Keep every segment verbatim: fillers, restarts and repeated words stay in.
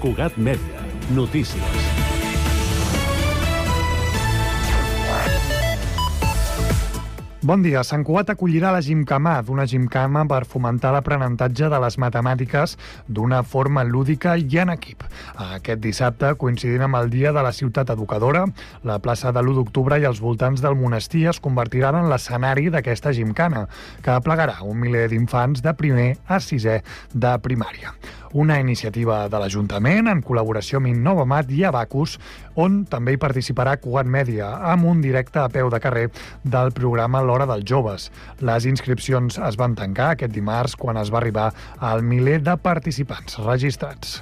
Cugat Mèdia. Notícies. Bon dia. Sant Cugat acollirà la Gimcamà, d'una gimcama per fomentar l'aprenentatge de les matemàtiques d'una forma lúdica i en equip. Aquest dissabte, coincidint amb el Dia de la Ciutat Educadora, la plaça de l'u d'octubre i els voltants del monestir es convertiran en l'escenari d'aquesta gimcana, que aplegarà un miler d'infants de primer a sisè de primària. Una iniciativa de l'Ajuntament en col·laboració amb Innovamat i Abacus, on també hi participarà Cugat Mèdia, amb un directe a peu de carrer del programa L'Hora dels Joves. Les inscripcions es van tancar aquest dimarts quan es va arribar al miler de participants registrats.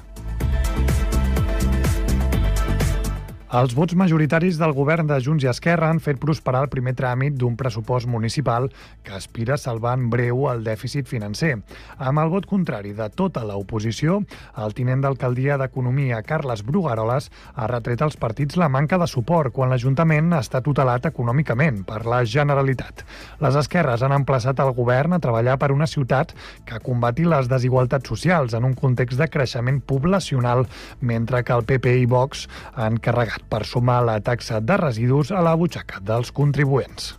Els vots majoritaris del govern de Junts i Esquerra han fet prosperar el primer tràmit d'un pressupost municipal que aspira a salvar en breu el dèficit financer. Amb el vot contrari de tota l'oposició, el tinent d'alcaldia d'Economia, Carles Brugaroles, ha retret als partits la manca de suport quan l'Ajuntament està tutelat econòmicament per la Generalitat. Les esquerres han emplaçat el govern a treballar per una ciutat que combati les desigualtats socials en un context de creixement poblacional, mentre que el P P i Vox han carregat per sumar la taxa de residus a la butxaca dels contribuents.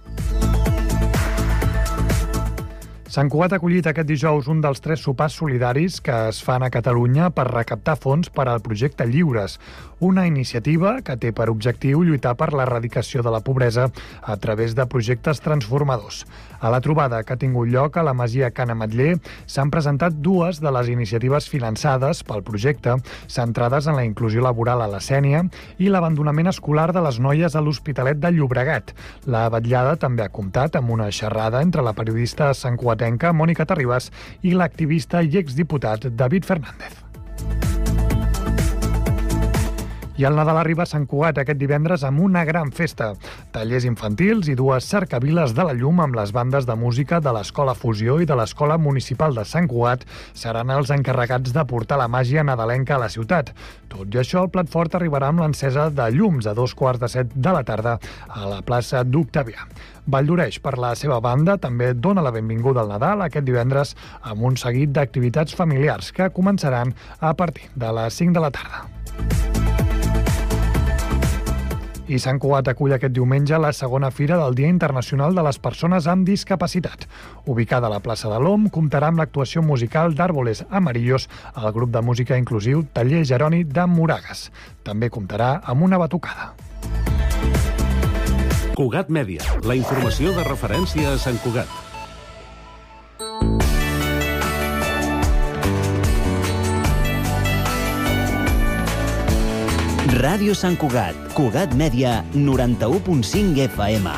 Sant Cugat ha acollit aquest dijous un dels tres sopars solidaris que es fan a Catalunya per recaptar fons per al projecte Lliures, una iniciativa que té per objectiu lluitar per l'erradicació de la pobresa a través de projectes transformadors. A la trobada que ha tingut lloc a la Masia Can Ametller s'han presentat dues de les iniciatives finançades pel projecte, centrades en la inclusió laboral a la Sénia i l'abandonament escolar de les noies a l'Hospitalet de Llobregat. La vetllada també ha comptat amb una xerrada entre la periodista santcugatenca Mònica Terribas i l'activista i exdiputat David Fernández. I el Nadal arriba a Sant Cugat aquest divendres amb una gran festa. Tallers infantils i dues cercaviles de la llum amb les bandes de música de l'Escola Fusió i de l'Escola Municipal de Sant Cugat seran els encarregats de portar la màgia nadalenca a la ciutat. Tot i això, el plat fort arribarà amb l'encesa de llums a dos quarts de set de la tarda a la plaça d'Octavià. Valldoreix, per la seva banda, també dona la benvinguda al Nadal aquest divendres amb un seguit d'activitats familiars que començaran a partir de les cinc de la tarda. I Sant Cugat acull aquest diumenge la segona fira del Dia Internacional de les Persones amb Discapacitat. Ubicada a la plaça de l'Om, comptarà amb l'actuació musical d'Àrboles Amarillos al grup de música inclusiu Taller Jeroni de Moragas. També comptarà amb una batucada. Cugat Mèdia, la informació de referència a Sant Cugat. Ràdio Sant Cugat, Cugat Mèdia, noranta-u punt cinc F M.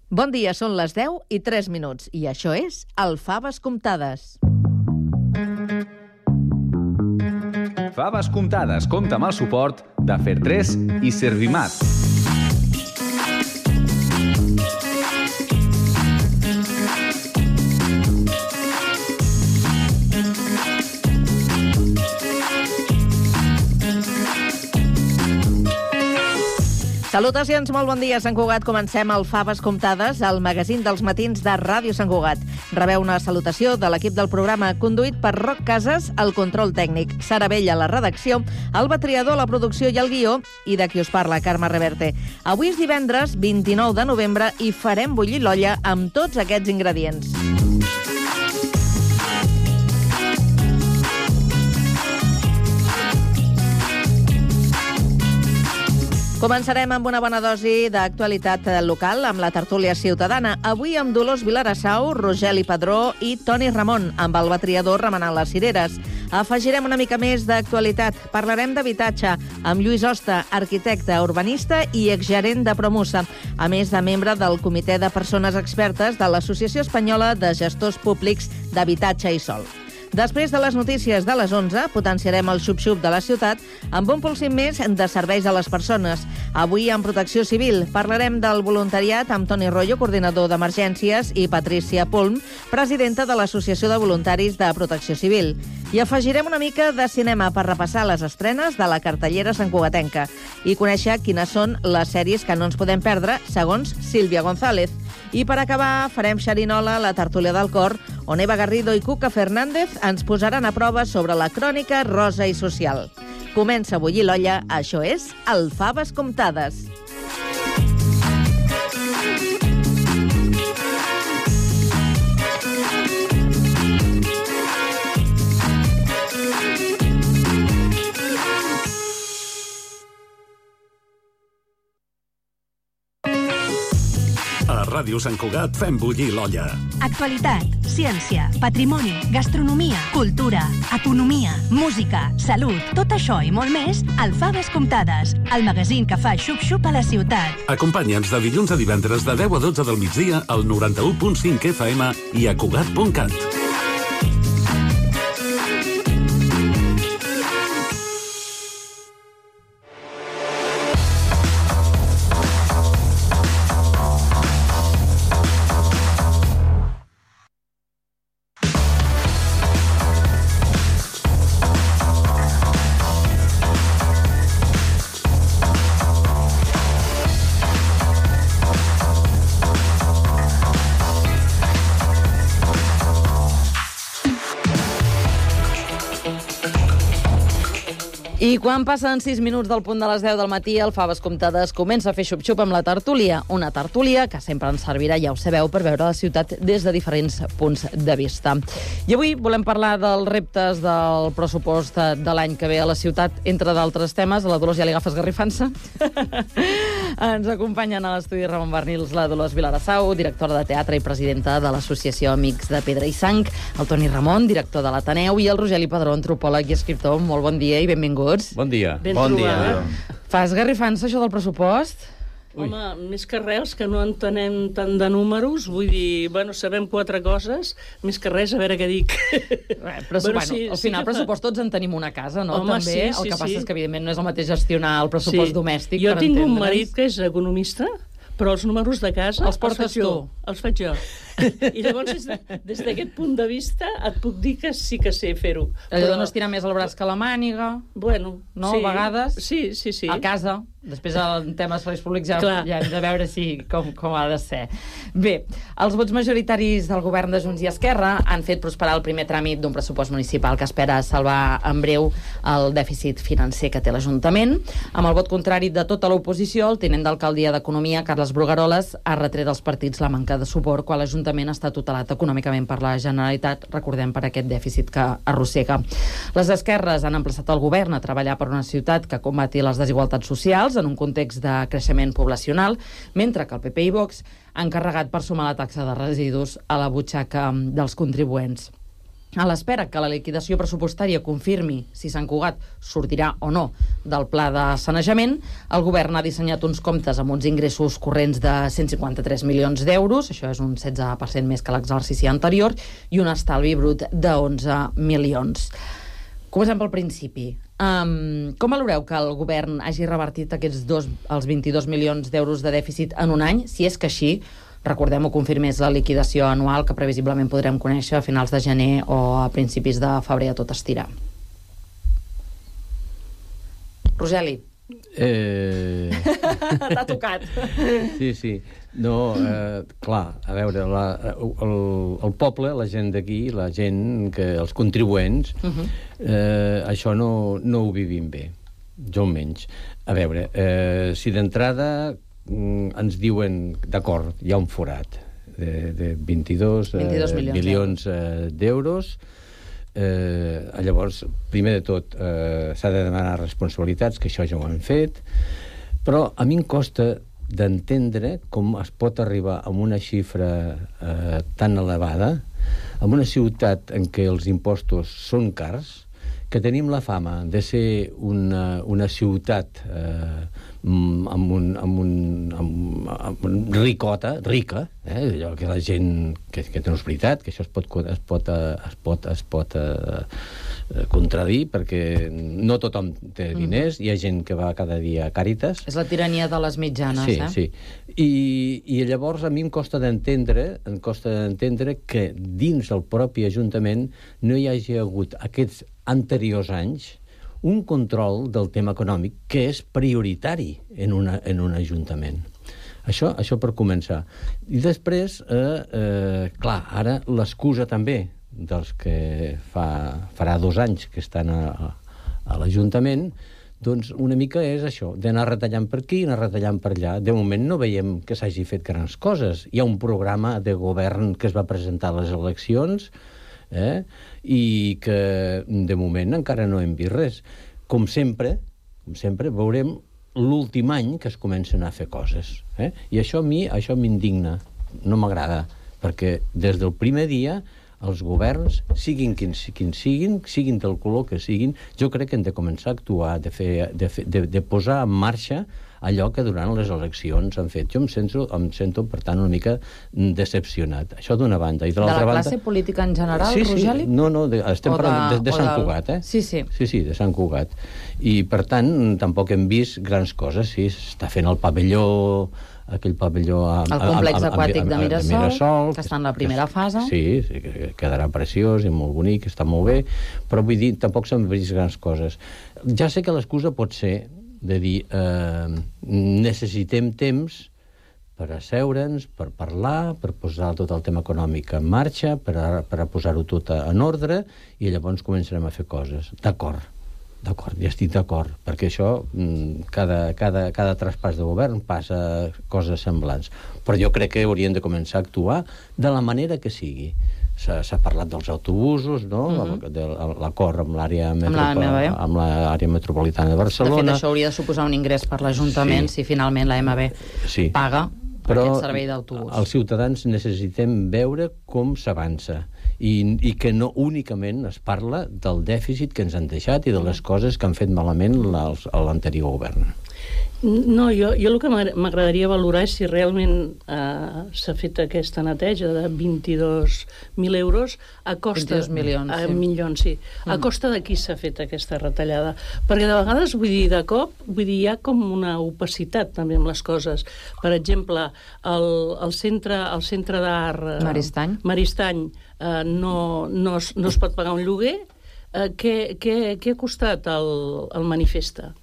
Bon dia, són les deu i tres minuts i això és el Faves Comptades. Faves Comptades compta amb el suport de Fer tres i Servimat. Salutacions, molt bon dia, Sant Cugat. Comencem el Faves Comptades, el magazín dels matins de Ràdio Sant Cugat. Rebeu una salutació de l'equip del programa, conduït per Roc Casas, el control tècnic, Sara Vella, la redacció, Alba Triador, la producció i el guió, i de qui us parla, Carme Reverte. Avui és divendres, vint-i-nou de novembre, i farem bullir l'olla amb tots aquests ingredients. Començarem amb una bona dosi d'actualitat local amb la tertúlia ciutadana. Avui amb Dolors Vilarassau, Rogeli Padró i Toni Ramon, amb el batriador remenant les cireres. Afegirem una mica més d'actualitat. Parlarem d'habitatge amb Lluís Hosta, arquitecte, urbanista i exgerent de Promusa, a més de membre del Comitè de Persones Expertes de l'Associació Espanyola de Gestors Públics d'Habitatge i Sòl. Després de les notícies de les onze, potenciarem el xup-xup de la ciutat amb un pulsim més de serveis a les persones. Avui, en Protecció Civil, parlarem del voluntariat amb Toni Rollo, coordinador d'emergències, i Patrícia Pulm, presidenta de l'Associació de Voluntaris de Protecció Civil. I afegirem una mica de cinema per repassar les estrenes de la cartellera santcugatenca i conèixer quines són les sèries que no ens podem perdre, segons Sílvia González. I per acabar, farem xerinola a la tertúlia del cor, on Eva Garrido i Cuca Fernández ens posaran a prova sobre la crònica rosa i social. Comença a bullir l'olla, això és el Faves Comptades. A Ràdio Sant Cugat fem bullir l'olla. Actualitat, ciència, patrimoni, gastronomia, cultura, economia, música, salut, tot això i molt més al Faves Comptades, el magazín que fa xup-xup a la ciutat. Acompanya'ns de dilluns a divendres de deu a dotze del migdia al noranta-u punt cinc F M i a Cugat punt cat. I quan passen sis minuts del punt de les deu del matí, el Faves Comptades comença a fer xup-xup amb la tertúlia. Una tertúlia que sempre ens servirà, ja ho sabeu, per veure la ciutat des de diferents punts de vista. I avui volem parlar dels reptes del pressupost de l'any que ve a la ciutat, entre d'altres temes. A la Dolors ja li agafes garrifança. Ens acompanyen a l'estudi Ramon Barnils, la Dolors Vilarassau, directora de teatre i presidenta de l'Associació Amics de Pedra i Sang, el Toni Ramon, director de l'Ateneu, i el Rogeli Padró, antropòleg i escriptor. Molt bon dia i benvinguts. Bon dia. Ben bon dia. Fas garrifança, això del pressupost? Ui. Home, més que res, que no entenem tant de números, vull dir, bueno, sabem quatre coses, més que res, a veure què dic. Bé, però, bueno, bueno, sí, al final, sí pressupost, tots en tenim una casa, no? Home, també. Sí, el sí, que passa sí. és que, evidentment, no és el mateix gestionar el pressupost sí. domèstic, jo per tinc entendre'ns. un marit que és economista, però els números de casa els portes els faig tu. jo. Els faig jo. I llavors, des d'aquest punt de vista, et puc dir que sí que sé fer-ho. Allò però... no es tira més el braç que la màniga, bueno, no? Sí. A vegades. Sí, sí, sí. A casa. Després, en temes serveis públics, ja, ja hem de veure si, com, com ha de ser. Bé, els vots majoritaris del govern de Junts i Esquerra han fet prosperar el primer tràmit d'un pressupost municipal que espera salvar en breu el dèficit financer que té l'Ajuntament. Amb el vot contrari de tota l'oposició, el tinent d'alcaldia d'Economia, Carles Brugueroles, ha retret als partits la manca de suport quan l'Ajuntament està tutelat econòmicament per la Generalitat, recordem, per aquest dèficit que arrossega. Les esquerres han emplaçat el govern a treballar per una ciutat que combati les desigualtats socials en un context de creixement poblacional, mentre que el P P i Vox han carregat per sumar la taxa de residus a la butxaca dels contribuents. A l'espera que la liquidació pressupostària confirmi si Sant Cugat sortirà o no del pla de sanejament, el govern ha dissenyat uns comptes amb uns ingressos corrents de cent cinquanta-tres milions d'euros, això és un setze per cent més que l'exercici anterior, i un estalvi brut de onze milions. Comencem pel principi. Um, com valoreu que el govern hagi revertit aquests dos, els vint-i-dos milions d'euros de dèficit en un any, si és que així, recordem-ho, confirmés la liquidació anual que previsiblement podrem conèixer a finals de gener o a principis de febrer a tot estirar? Rogeli. Eh... T'ha tocat. Sí, sí. No, eh, clar, a veure, la, el, el poble, la gent d'aquí, la gent, que els contribuents, uh-huh. eh, això no, no ho vivim bé, jo almenys. A veure, eh, si d'entrada mm, ens diuen, d'acord, hi ha un forat de, de vint-i-dos, vint-i-dos milions, milions eh, d'euros, eh, llavors, primer de tot, eh, s'ha de demanar responsabilitats, que això ja ho han fet, però a mi em costa d'entendre com es pot arribar a una xifra eh, tan elevada en una ciutat en què els impostos són cars, que tenim la fama de ser una, una ciutat eh, amb un, amb un, amb, amb un ricota, rica, eh? Allò que la gent, que, que no és veritat, que això es pot, es pot, es pot, es pot eh, contradir, perquè no tothom té diners, hi ha gent que va cada dia a Càritas. És la tirania de les mitjanes, sí, eh? Sí, sí. I, I llavors a mi em costa d'entendre, em costa d'entendre que dins del propi Ajuntament no hi hagi hagut aquests anteriors anys un control del tema econòmic que és prioritari en, una, en un ajuntament. Això, això per començar. I després, eh, eh, clar, ara l'excusa també dels que fa, farà dos anys que estan a, a l'Ajuntament, doncs una mica és això, d'anar retallant per aquí, anar retallant per allà. De moment no veiem que s'hagi fet grans coses. Hi ha un programa de govern que es va presentar a les eleccions, eh? I que de moment encara no hem vist res. Com sempre, com sempre veurem l'últim any que es comencen a fer coses. Eh? I això a mi això m'indigna, no m'agrada, perquè des del primer dia els governs, siguin quins, quins siguin, siguin del color que siguin, jo crec que hem de començar a actuar, de, fer, de, fer, de, de posar en marxa allò que durant les eleccions han fet. Jo em sento, em sento per tant, una mica decepcionat. Això d'una banda. I de l'altra banda... De la classe política en general, sí, sí. Rogeli? No, no, de, estem o parlant de, de, de Sant del... Cugat, eh? Sí, sí. Sí, sí, de Sant Cugat. I, per tant, tampoc hem vist grans coses. Sí, s'està fent el pavelló... aquell pavelló... A, el complex a, a, aquàtic a, a, de Mirasol, de Mirasol, que està en la primera que, fase. Sí, sí, que quedarà preciós i molt bonic, està molt bé, però vull dir, tampoc s'han vist grans coses. Ja sé que l'excusa pot ser de dir eh, necessitem temps per asseure'ns, per parlar, per posar tot el tema econòmic en marxa, per, a, per a posar-ho tot en ordre, i llavors començarem a fer coses. D'acord, d'acord, ja estic d'acord, perquè això, cada, cada, cada traspàs de govern passa coses semblants. Però jo crec que haurien de començar a actuar de la manera que sigui. S'ha parlat dels autobusos, no? Mm-hmm. de l'acord amb l'àrea metropol... amb l'àrea metropolitana de Barcelona. De fet, això hauria de suposar un ingrés per l'Ajuntament sí. si finalment la M B sí. paga per aquest servei d'autobús. Però els ciutadans necessitem veure com s'avança i, i que no únicament es parla del dèficit que ens han deixat i de les coses que han fet malament l'anterior govern. No, jo, jo el que m'agradaria valorar és si realment eh, s'ha fet aquesta neteja de vint-i-dos mil euros a costa... vint-i-dos milions, a, sí. milions, sí. A costa de qui s'ha fet aquesta retallada. Perquè de vegades, vull dir, de cop, vull dir, hi ha com una opacitat també amb les coses. Per exemple, el, el centre, el centre d'art... Eh, Maristany. Maristany eh, no, no, es, no es pot pagar un lloguer. Eh, què, què, què ha costat el, el manifesta?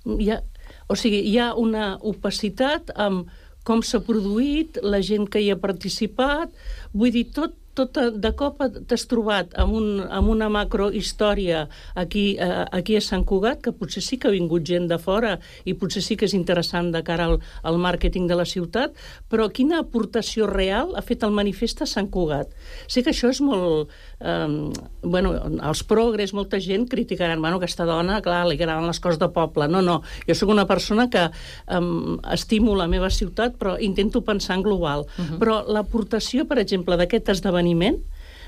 Hi ha... O sigui, hi ha una opacitat amb com s'ha produït, la gent que hi ha participat, vull dir, tot, tot de cop t'has trobat amb, un, amb una macrohistòria aquí, eh, aquí a Sant Cugat, que potser sí que ha vingut gent de fora i potser sí que és interessant de cara al, al màrqueting de la ciutat, però quina aportació real ha fet el manifest a Sant Cugat? Sé que això és molt... Eh, bueno, els progres, molta gent criticaran, bueno, aquesta dona, clar, li agraden les coses de poble. No, no, jo sóc una persona que eh, estimo la meva ciutat, però intento pensar en global. Uh-huh. Però l'aportació, per exemple, d'aquest esdeveniment,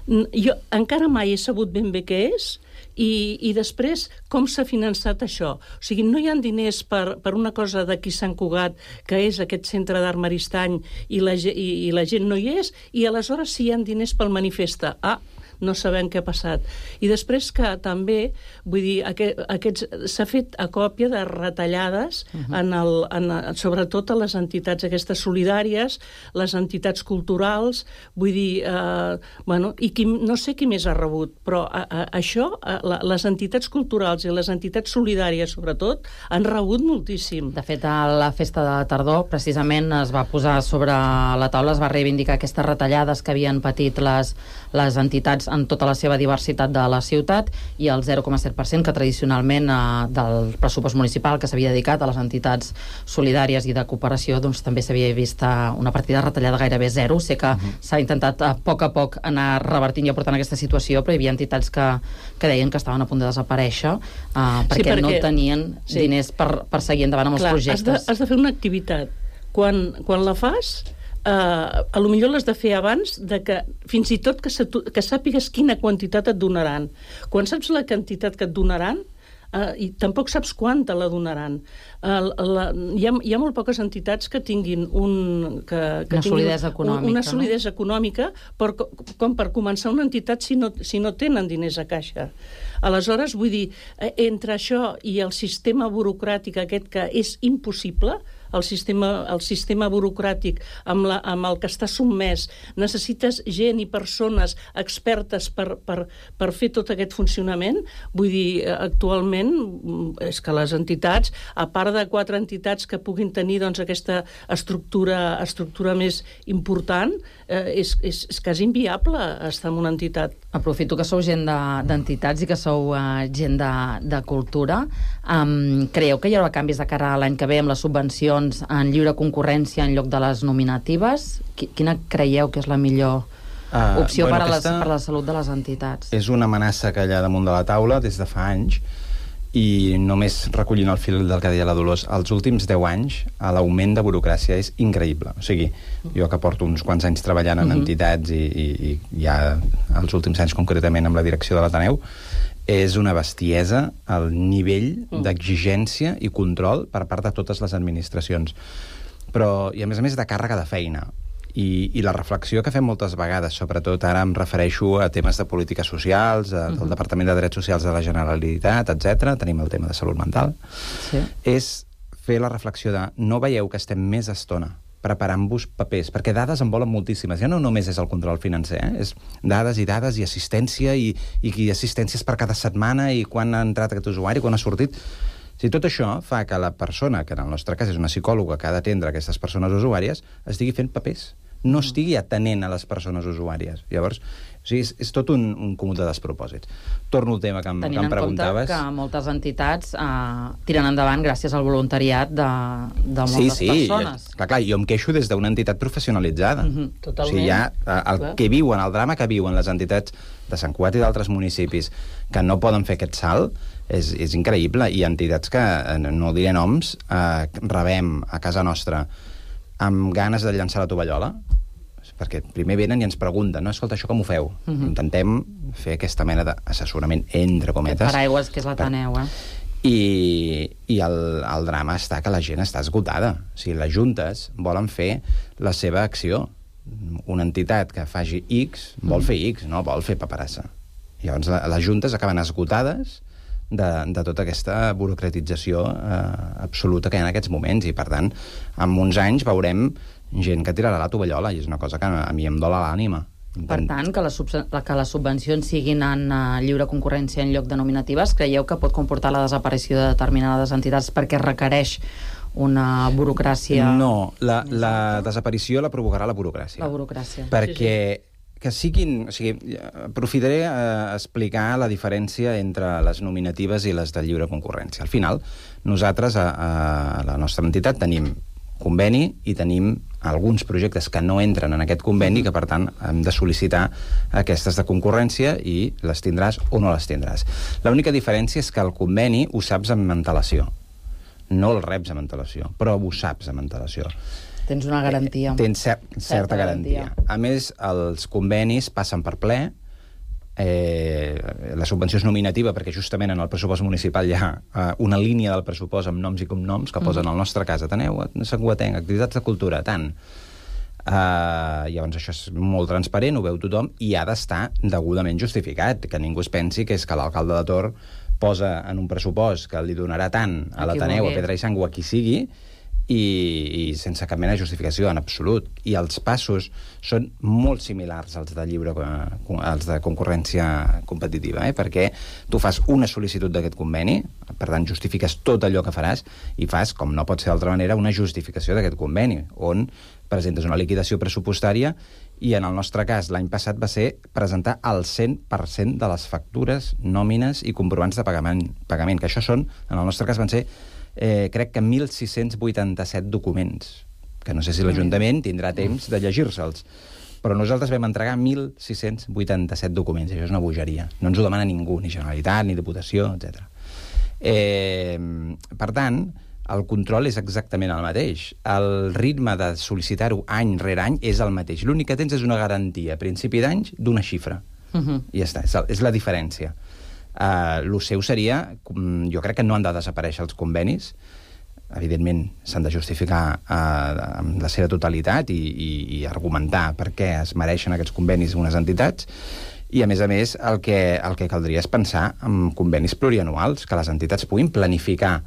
jo encara mai he sabut ben bé què és, i, i després com s'ha finançat això. O sigui, no hi ha diners per, per una cosa d'aquí Sant Cugat, que és aquest centre d'art Maristany, i la, i, i la gent no hi és, i aleshores sí hi ha diners pel manifesta. Ah, no sabem què ha passat. I després que també, vull dir, aquest, aquests, s'ha fet a còpia de retallades, uh-huh. en el, en, sobretot a les entitats aquestes solidàries, les entitats culturals, vull dir, eh, bueno, i qui, no sé qui més ha rebut, però a, a, això, a, la, les entitats culturals i les entitats solidàries, sobretot, han rebut moltíssim. De fet, a la festa de tardor, precisament, es va posar sobre la taula, es va reivindicar aquestes retallades que havien patit les, les entitats en tota la seva diversitat de la ciutat, i el zero coma set per cent que tradicionalment eh, del pressupost municipal que s'havia dedicat a les entitats solidàries i de cooperació, doncs també s'havia vist una partida retallada gairebé zero. Sé que uh-huh. s'ha intentat a poc a poc anar revertint i aportant aquesta situació, però hi havia entitats que, que deien que estaven a punt de desaparèixer eh, perquè, sí, perquè no tenien sí. diners per, per seguir endavant amb Clar, els projectes. Has de, has de fer una activitat. Quan, quan la fas, Uh, a lo millor l'has de fer abans de que, fins i tot que, que sàpigues quina quantitat et donaran. Quan saps la quantitat que et donaran, uh, i tampoc saps quan te la donaran. Uh, la, hi, ha, hi ha molt poques entitats que tinguin, un, que, que una tinguin solidesa econòmica, una solidesa no? econòmica per, com per començar una entitat si no, si no tenen diners a caixa. Aleshores, vull dir, entre això i el sistema burocràtic aquest que és impossible, el sistema, el sistema burocràtic amb, la, amb el que està sotmès, necessites gent i persones expertes per, per, per fer tot aquest funcionament. Vull dir, actualment és que les entitats, a part de quatre entitats que puguin tenir doncs, aquesta estructura, estructura més important, eh, és, és, és quasi inviable estar en una entitat. Aprofito que sou gent d'entitats de, i que sou uh, gent de, de cultura. Um, creieu que hi haurà canvis de cara a l'any que ve amb les subvencions en lliure concurrència en lloc de les nominatives? Quina creieu que és la millor uh, opció bueno, per, a les, per a la salut de les entitats? És una amenaça que hi ha damunt de la taula des de fa anys, i només recollint el fil del que deia la Dolors, els últims deu anys l'augment de burocràcia és increïble. O sigui, jo que porto uns quants anys treballant en uh-huh. entitats i, i, i ja els últims anys concretament amb la direcció de l'Ateneu, és una bestiesa el nivell uh-huh. d'exigència i control per part de totes les administracions. Però, i a més a més de càrrega de feina. I, i la reflexió que fem moltes vegades, sobretot ara em refereixo a temes de polítiques socials, a, uh-huh. del Departament de Drets Socials de la Generalitat, etcètera. Tenim el tema de salut mental. Sí. És fer la reflexió de no veieu que estem més estona preparant-vos papers, perquè dades en volen moltíssimes. Ja no només és el control financer, eh? És dades i dades i assistència i, i, i assistències per cada setmana i quan ha entrat aquest usuari, quan ha sortit. Si tot això fa que la persona, que en el nostre cas és una psicòloga que ha d'atendre aquestes persones usuàries, estigui fent papers, no estigui atenent a les persones usuàries. Llavors, o sigui, és, és tot un, un comú de despropòsits. Torno al tema que em, que em preguntaves. Tenint en compte que moltes entitats eh, tiren endavant gràcies al voluntariat de, de moltes sí, sí, persones. Clar, clar, jo em queixo des d'una entitat professionalitzada. Mm-hmm, totalment. O sigui, ja, el clar. que viuen, el drama que viuen les entitats de Sant Cugat i d'altres municipis que no poden fer aquest salt és, és increïble. I entitats que, no diré noms, eh, rebem a casa nostra amb ganes de llançar la tovallola, perquè primer venen i ens pregunten, no, escolta, això com ho feu? Uh-huh. Intentem fer aquesta mena d'assessorament entre cometes. Per aigües, que és l'Ateneu, eh? I, i el, el drama està que la gent està esgotada. O sigui, les juntes volen fer la seva acció. Una entitat que faci X vol uh-huh. fer X, no vol fer paperassa. Llavors, la, les juntes acaben esgotades de, de tota aquesta burocratització eh, absoluta que hi ha en aquests moments, i per tant, en uns anys veurem gent que tirarà la tovallola, i és una cosa que a mi em dola l'ànima. Per tant, que les, que les subvencions siguin en uh, lliure concurrència en lloc de nominatives, creieu que pot comportar la desaparició de determinades entitats perquè requereix una burocràcia... No, la, la desaparició la provocarà la burocràcia. La burocràcia. Perquè que siguin... O sigui, aprofitaré a explicar la diferència entre les nominatives i les de lliure concurrència. Al final, nosaltres a, a la nostra entitat tenim conveni i tenim alguns projectes que no entren en aquest conveni, que per tant hem de sol·licitar aquestes de concurrència i les tindràs o no les tindràs. L'única diferència és que el conveni ho saps amb antelació. No el reps amb antelació, però ho saps amb antelació. Tens una garantia. Tens cer certa, certa garantia. garantia. A més, els convenis passen per ple. Eh, la subvenció és nominativa perquè justament en el pressupost municipal hi ha eh, una línia del pressupost amb noms i cognoms que posen al nostre cas Ateneu, Sant Cugatenc, activitats de cultura, tant. Eh, llavors això és molt transparent, ho veu tothom, i ha d'estar degudament justificat, que ningú es pensi que és que l'alcalde de Tor posa en un pressupost que li donarà tant a l'Ateneu, a Pedra i Sang o a qui sigui, i, i sense cap mena de justificació, en absolut. I els passos són molt similars als de lliure, als de concurrència competitiva, eh? Perquè tu fas una sol·licitud d'aquest conveni, per tant justifiques tot allò que faràs, i fas, com no pot ser d'altra manera, una justificació d'aquest conveni, on presentes una liquidació pressupostària, i en el nostre cas l'any passat va ser presentar el cent per cent de les factures, nòmines i comprovants de pagament, pagament que això són, en el nostre cas van ser Eh, crec que mil sis-cents vuitanta-set documents, que no sé si l'Ajuntament tindrà temps de llegir-se'ls, però nosaltres vam entregar mil sis-cents vuitanta-set documents, i això és una bogeria. No ens ho demana ningú, ni Generalitat, ni Diputació, etcètera. Eh, per tant, el control és exactament el mateix. El ritme de sol·licitar-ho any rere any és el mateix. L'únic que tens és una garantia a principi d'any d'una xifra. Uh-huh. I ja està, és, és la diferència. Uh, el seu seria, jo crec que no han de desaparèixer els convenis, evidentment s'han de justificar uh, amb la seva totalitat i, i, i argumentar per què es mereixen aquests convenis unes entitats, i a més a més el que, el que caldria és pensar en convenis plurianuals, que les entitats puguin planificar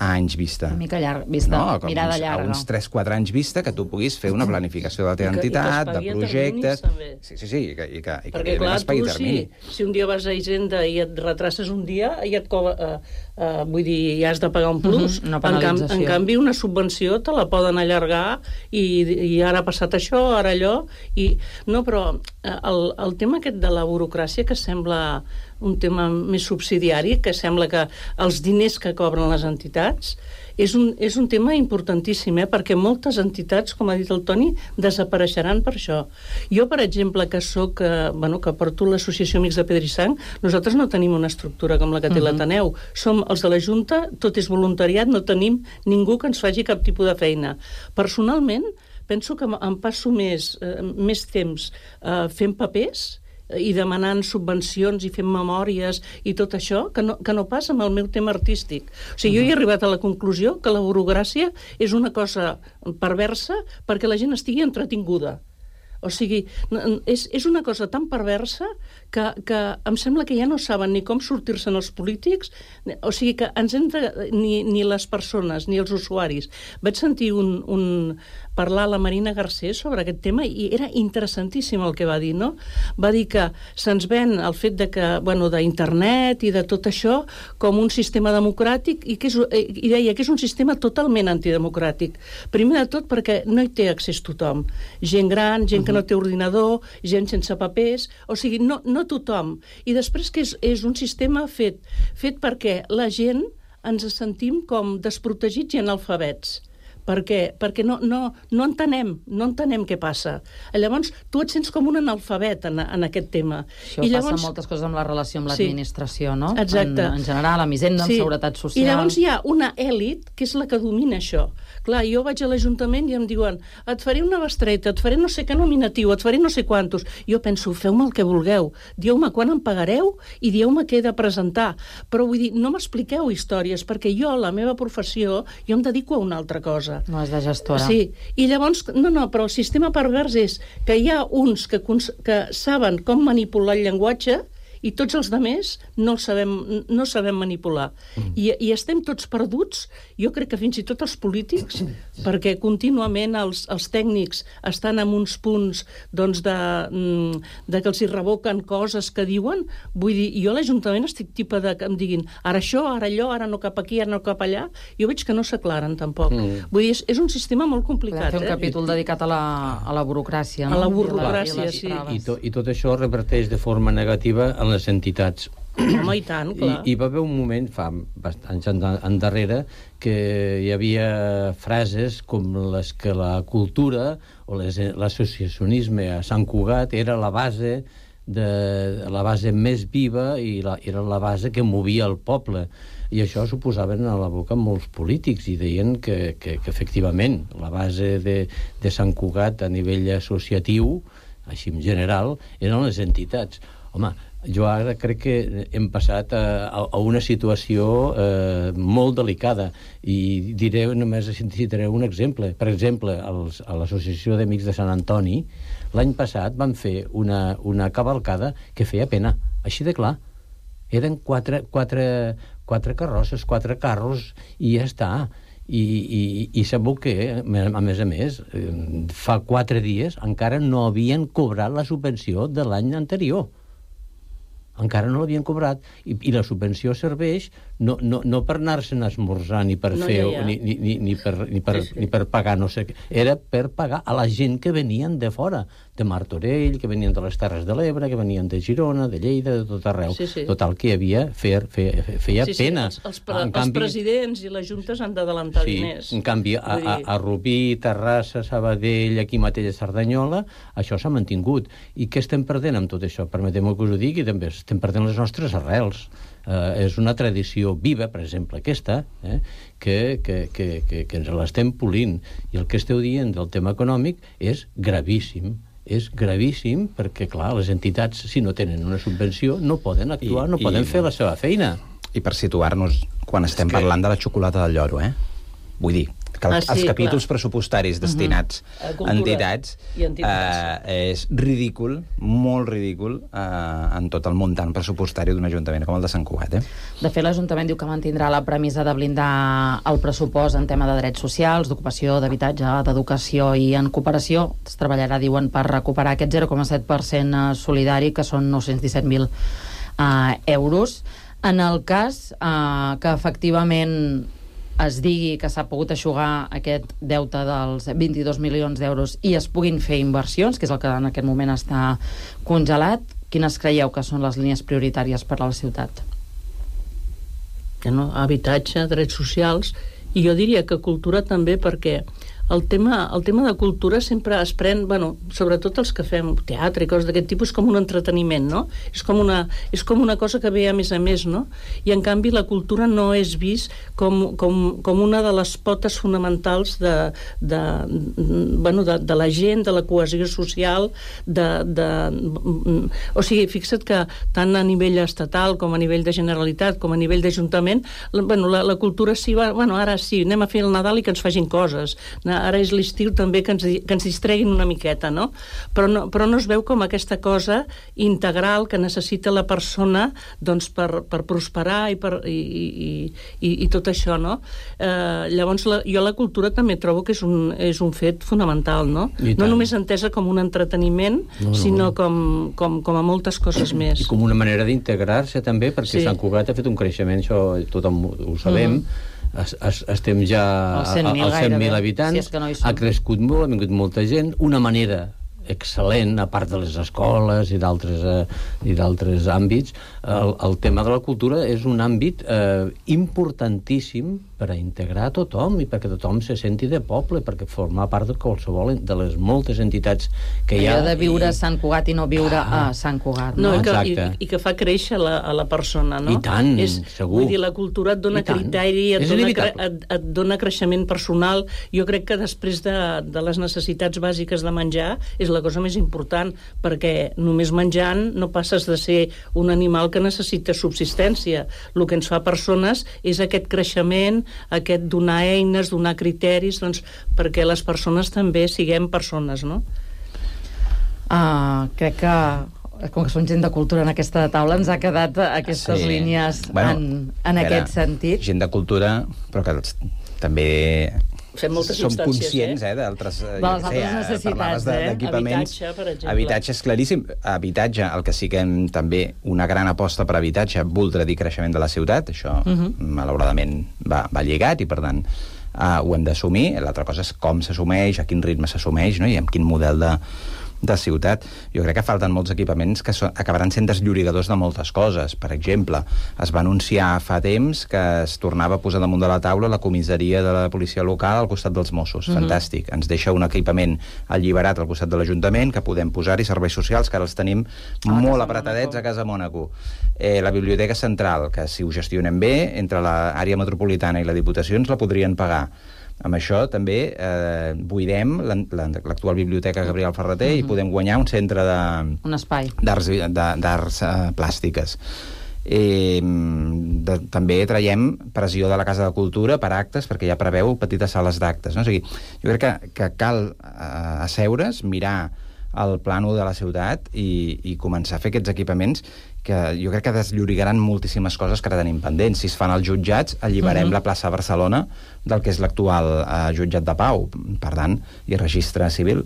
a anys vista. Una mica llarg, vista, no, mirada uns, llarga. A uns tres quatre anys vista, que tu puguis fer una planificació de la teva I que, entitat, i que de projectes... Sí, sí, sí, i que, i que, i que perquè, clar, es pagui tu, termini. si, si un dia vas a Hisenda i et retraces un dia, i et cobra, uh, uh, vull dir, ja has de pagar un plus. Uh-huh, una en, cam, penalització. en canvi, una subvenció te la poden allargar i, i ara ha passat això, ara allò... I, no, però el, el tema aquest de la burocràcia, que sembla un tema més subsidiari, que sembla que els diners que cobren les entitats... És un, és un tema importantíssim, eh? Perquè moltes entitats, com ha dit el Toni, desapareixeran per això. Jo, per exemple, que soc, eh, bueno, que porto l'Associació Amics de Pedra i Sang, nosaltres no tenim una estructura com la que té uh-huh. l'Ateneu. Som els de la Junta, tot és voluntariat, no tenim ningú que ens faci cap tipus de feina. Personalment, penso que em passo més, eh, més temps eh, fent papers i demanant subvencions i fent memòries i tot això, que no, que no passa amb el meu tema artístic. O sigui, uh-huh. jo he arribat a la conclusió que la burocràcia és una cosa perversa perquè la gent estigui entretinguda. O sigui, és, és una cosa tan perversa que, que em sembla que ja no saben ni com sortir-se'n els polítics, o sigui que ens hem de, ni, ni les persones, ni els usuaris. Vaig sentir un, un, parlar la Marina Garcés sobre aquest tema i era interessantíssim el que va dir, no? Va dir que se'ns ven el fet de que, bueno, d'internet i de tot això com un sistema democràtic i, que és, i deia que és un sistema totalment antidemocràtic. Primer de tot perquè no hi té accés tothom. Gent gran, gent que no té ordinador, gent sense papers, o sigui, no, no tothom. I després que és, és un sistema fet, fet perquè la gent ens sentim com desprotegits i analfabets. Per què? Perquè no, no, no entenem, no entenem què passa. Llavors, tu et sents com un analfabet en, en aquest tema. Això I llavors... passa moltes coses amb la relació amb l'administració, sí, no? Exacte. En, en general, amb Hisenda, sí. amb Seguretat Social... I llavors hi ha una èlit que és la que domina això. Clar, jo vaig a l'Ajuntament i em diuen et faré una bestreta, et faré no sé què nominatiu, et faré no sé quantos. Jo penso, feu-me el que vulgueu. Dieu-me quan em pagareu i dieu-me què he de presentar. Però vull dir, no m'expliqueu històries, perquè jo, la meva professió, jo em dedico a una altra cosa. No és de gestora. Sí, i llavors, no, no, però el sistema pervers és que hi ha uns que, que saben com manipular el llenguatge i tots els altres no el sabem, no sabem manipular. Mm. I, I estem tots perduts, jo crec que fins i tot els polítics, perquè contínuament els, els tècnics estan en uns punts doncs, de, de que els hi revoquen coses que diuen. Vull dir, jo a l'Ajuntament estic tipa de que em diguin ara això, ara allò, ara no cap aquí, ara no cap allà. Jo veig que no s'aclaren tampoc. Mm. Vull dir, és, és un sistema molt complicat. Podem fer un eh? capítol dedicat a la, a la burocràcia. No? A la burocràcia, I, sí. I, to, I tot això reverteix de forma negativa en les entitats. Home, i tant, clar. I, I va haver un moment, fa bastants anys endarrere, que hi havia frases com les que la cultura o l'associacionisme a Sant Cugat era la base de la base més viva i la, era la base que movia el poble. I això s'ho posaven a la boca molts polítics i deien que, que, que efectivament la base de, de Sant Cugat a nivell associatiu, així en general, eren les entitats. Home, jo ara crec que hem passat a, a una situació eh, molt delicada i diré, només citaré un exemple. Per exemple, els, a l'Associació d'Amics de Sant Antoni l'any passat van fer una, una cavalcada que feia pena, així de clar. Eren quatre, quatre, quatre carrosses, quatre carros i ja està. I, i, i sabeu què? A més a més, fa quatre dies encara no havien cobrat la subvenció de l'any anterior. Encara no l'havien cobrat i, i la subvenció serveix no, no, no per anar-se'n a esmorzar ni per no, fer ja, ja. Ni, ni, ni, per, ni, per, sí, sí. ni per pagar no sé què, era per pagar a la gent que venien de fora, de Martorell, que venien de les Terres de l'Ebre, que venien de Girona, de Lleida, de tot arreu. Sí, sí. Total, que hi havia fer, fer, feia sí, sí. pena. Els, els, pre, els canvi, presidents i les juntes han d'adelantar sí, diners. En canvi, a, a, a Rubí, Terrassa, Sabadell, aquí mateix a Cerdanyola, això s'ha mantingut. I què estem perdent amb tot això? Permeteu-me que us ho digui, també estem perdent les nostres arrels. Uh, és una tradició viva, per exemple, aquesta, eh, que, que, que, que, que ens l'estem polint. I el que esteu dient del tema econòmic és gravíssim. és gravíssim, perquè, clar, les entitats, si no tenen una subvenció, no poden actuar, I, no poden i, fer la seva feina. I per situar-nos, quan estem que... parlant de la xocolata del lloro, eh? Vull dir, que el, Ah, sí, els capítols clar. pressupostaris destinats A a cultura entitats, i entitats. eh, és ridícul, molt ridícul, eh, en tot el muntant pressupostari d'un ajuntament com el de Sant Cugat, eh? De fet, l'Ajuntament diu que mantindrà la premissa de blindar el pressupost en tema de drets socials, d'ocupació, d'habitatge, d'educació i en cooperació. Es treballarà, diuen, per recuperar aquest zero coma set per cent solidari, que són nou-cents disset mil eh, euros. En el cas eh, que efectivament es digui que s'ha pogut eixugar aquest deute dels vint-i-dos milions d'euros i es puguin fer inversions, que és el que en aquest moment està congelat, quines creieu que són les línies prioritàries per a la ciutat? No? Habitatge, drets socials, i jo diria que cultura també, perquè el tema, el tema de cultura sempre es pren, bueno, sobretot els que fem teatre i coses d'aquest tipus, com un entreteniment, no? És com una, és com una cosa que ve a més a més, no? I en canvi la cultura no és vist com, com, com una de les potes fonamentals de, de, bueno, de, de la gent, de la cohesió social, de, de, o sigui, fixa't que tant a nivell estatal com a nivell de Generalitat com a nivell d'Ajuntament, bueno, la, la cultura sí, va, bueno, ara sí, anem a fer el Nadal i que ens facin coses, ara és l'estiu també que ens, que ens distreguin una miqueta, no? Però, no? però no es veu com aquesta cosa integral que necessita la persona, doncs, per, per prosperar i, per, i, i, i, i tot això, no? Eh, llavors, la, jo la cultura també trobo que és un, és un fet fonamental, no? No només entesa com un entreteniment, no, no. sinó com, com, com a moltes coses més. I com una manera d'integrar-se també, perquè Sí. Sant Cugat ha fet un creixement, això tothom ho sabem, Mhm. Es, es, estem ja Als cent mil als cent mil gairebé, habitants, si és que no hi som. ha crescut molt, ha vingut molta gent, una manera excel·lent, a part de les escoles i d'altres eh, i d'altres àmbits, el, el tema de la cultura és un àmbit eh, importantíssim per a integrar a tothom i perquè tothom se senti de poble, perquè forma part de qualsevol de les moltes entitats que hi ha. Allò de viure i... a Sant Cugat i no viure ah. a Sant Cugat, No, no? i, que, i, Exacte. i que fa créixer la, a la persona, no? I tant, és, segur. Vull dir, la cultura et dona I tant. criteri, et És dona, cre, inevitable. et, et dona creixement personal. Jo crec que després de, de les necessitats bàsiques de menjar és la cosa més important, perquè només menjant no passes de ser un animal que necessita subsistència. El que ens fa persones és aquest creixement, aquest donar eines, donar criteris, doncs, perquè les persones també siguem persones, no? Uh, crec que com que som gent de cultura en aquesta taula ens ha quedat aquestes Sí. línies Bueno, en, en espera, aquest sentit. Gent de cultura, però que els- també Fem moltes som instàncies, conscients, eh? eh, d'altres... De les altres necessitats, parlaves de- eh? d'equipaments. Habitatge, per exemple. Habitatge és claríssim. Habitatge, el que sí que hem també una gran aposta per habitatge, voldrà dir creixement de la ciutat, això Mhm. uh -huh. malauradament va, va lligat i per tant uh, ho hem d'assumir. L'altra cosa és com s'assumeix, a quin ritme s'assumeix, no? I amb quin model de de ciutat. Jo crec que falten molts equipaments que so, acabaran sent desllorigadors de moltes coses. Per exemple, es va anunciar fa temps que es tornava a posar damunt de la taula la comissaria de la policia local al costat dels Mossos. Mhm. Fantàstic. Ens deixa un equipament alliberat al costat de l'Ajuntament que podem posar-hi serveis socials, que ara els tenim A la molt Casa apretadets Mònaco. a Casa Mònaco. Eh, la Biblioteca Central, que si ho gestionen bé, entre l'àrea metropolitana i la Diputació ens la podrien pagar. Amb això també eh, buidem l'an- l'an- l'actual biblioteca Gabriel Ferreter Mhm. i podem guanyar un centre de Un espai. d'arts de- d'arts eh, plàstiques. Eh, de, també traiem pressió de la Casa de Cultura per actes, perquè ja preveu petites sales d'actes, no? O sigui, jo crec que, que cal eh, asseure's, mirar el plànol de la ciutat i, i començar a fer aquests equipaments que jo crec que desllorigaran moltíssimes coses que ara tenim pendents. Si es fan als jutjats, alliberem Mhm. la plaça de Barcelona del que és l'actual eh, jutjat de pau, per tant, i registre civil.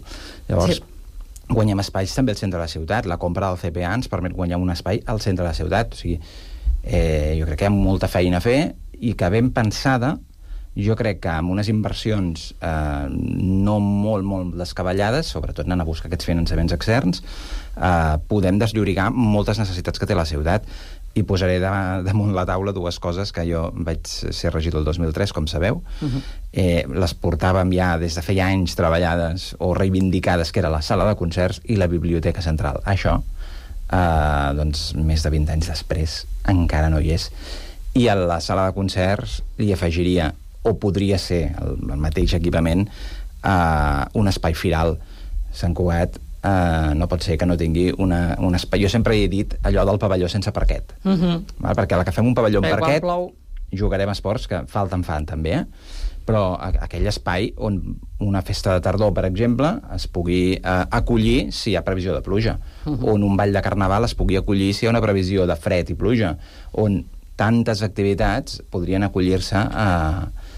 Llavors, Sí. guanyem espais també al centre de la ciutat. La compra del C P A ens permet guanyar un espai al centre de la ciutat. O sigui, eh, jo crec que hi ha molta feina a fer i que ben pensada, jo crec que amb unes inversions eh, no molt, molt descabellades, sobretot anant a buscar aquests finançaments externs, eh, podem desllorigar moltes necessitats que té la ciutat. I posaré de, damunt la taula dues coses que jo vaig ser regidor el dos mil tres, com sabeu. Uh-huh. Eh, les portàvem ja des de feia anys treballades o reivindicades, que era la sala de concerts i la biblioteca central. Això, eh, doncs, més de vint anys després, encara no hi és. I a la sala de concerts hi afegiria, o podria ser el, el mateix equipament, eh, un espai firal. Sant Cugat Uh, no pot ser que no tingui una, un espai. Jo sempre he dit allò del pavelló sense parquet. Uh-huh. Val? Perquè a la que fem un pavelló amb Bé, parquet plou... jugarem a esports que falten fan també, eh? Però a, aquell espai on una festa de tardor, per exemple, es pugui uh, acollir si hi ha previsió de pluja, uh-huh. on un ball de carnaval es pugui acollir si hi ha una previsió de fred i pluja, on tantes activitats podrien acollir-se a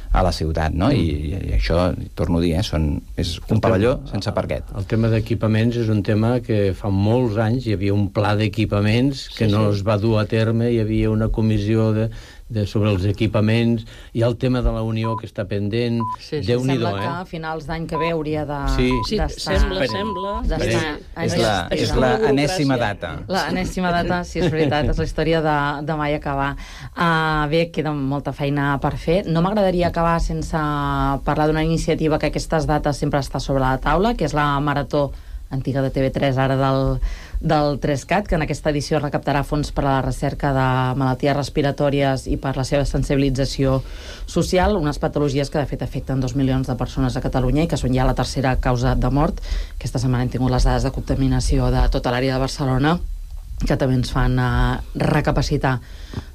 a la ciutat, no? I, i, i això, torno a dir, eh, són, és un pavelló sense parquet. El tema d'equipaments és un tema que fa molts anys hi havia un pla d'equipaments que sí, no sí. es va dur a terme, hi havia una comissió de, de, sobre els equipaments, hi ha el tema de la Unió que està pendent, sí, sí. Déu-n'hi-do, Sembla eh? que a finals d'any que ve hauria de... Sí, sí sembla, sembla. És la, és la enèsima data. La enèsima data, sí, és veritat, és la història de, de mai acabar. Uh, bé, queda molta feina per fer. No m'agradaria acabar sense parlar d'una iniciativa que aquestes dates sempre està sobre la taula, que és la Marató antiga de T V tres, ara del, del tres cat, que en aquesta edició recaptarà fons per a la recerca de malalties respiratòries i per la seva sensibilització social, unes patologies que de fet afecten dos milions de persones a Catalunya i que són ja la tercera causa de mort. Aquesta setmana hem tingut les dades de contaminació de tota l'àrea de Barcelona, que també ens fan uh, recapacitar.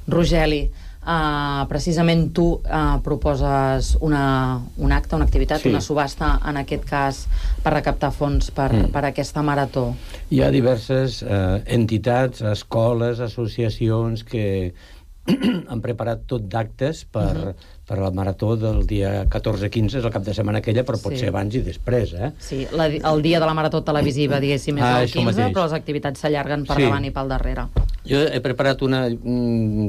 Rogeli, Uh, precisament tu uh, proposes una, un acte, una activitat, sí. una subhasta, en aquest cas, per recaptar fons per, mm. per aquesta marató. Hi ha diverses uh, entitats, escoles, associacions que han preparat tot d'actes per, uh-huh. per la marató del dia catorze quinze, és el cap de setmana aquella, però pot sí. ser abans i després, eh? Sí, la, el dia de la marató televisiva, diguéssim, és ah, el quinze, mateix. Però les activitats s'allarguen per sí. davant i pel darrere. Jo he preparat una...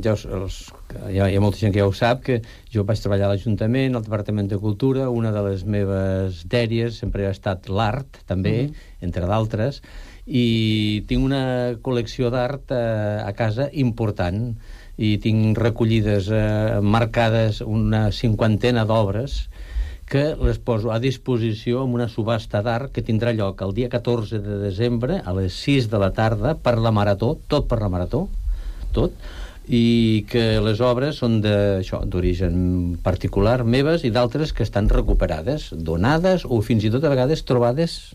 Ja, els, hi, ha, hi ha molta gent que ja ho sap, que jo vaig treballar a l'Ajuntament, al Departament de Cultura, una de les meves dèries sempre ha estat l'art, també, uh-huh. entre d'altres, i tinc una col·lecció d'art a, a casa important, i tinc recollides, eh, marcades una cinquantena d'obres que les poso a disposició en una subhasta d'art que tindrà lloc el dia catorze de desembre a les sis de la tarda per la marató, tot per la marató, tot, i que les obres són d'origen particular meves i d'altres que estan recuperades, donades o fins i tot a vegades trobades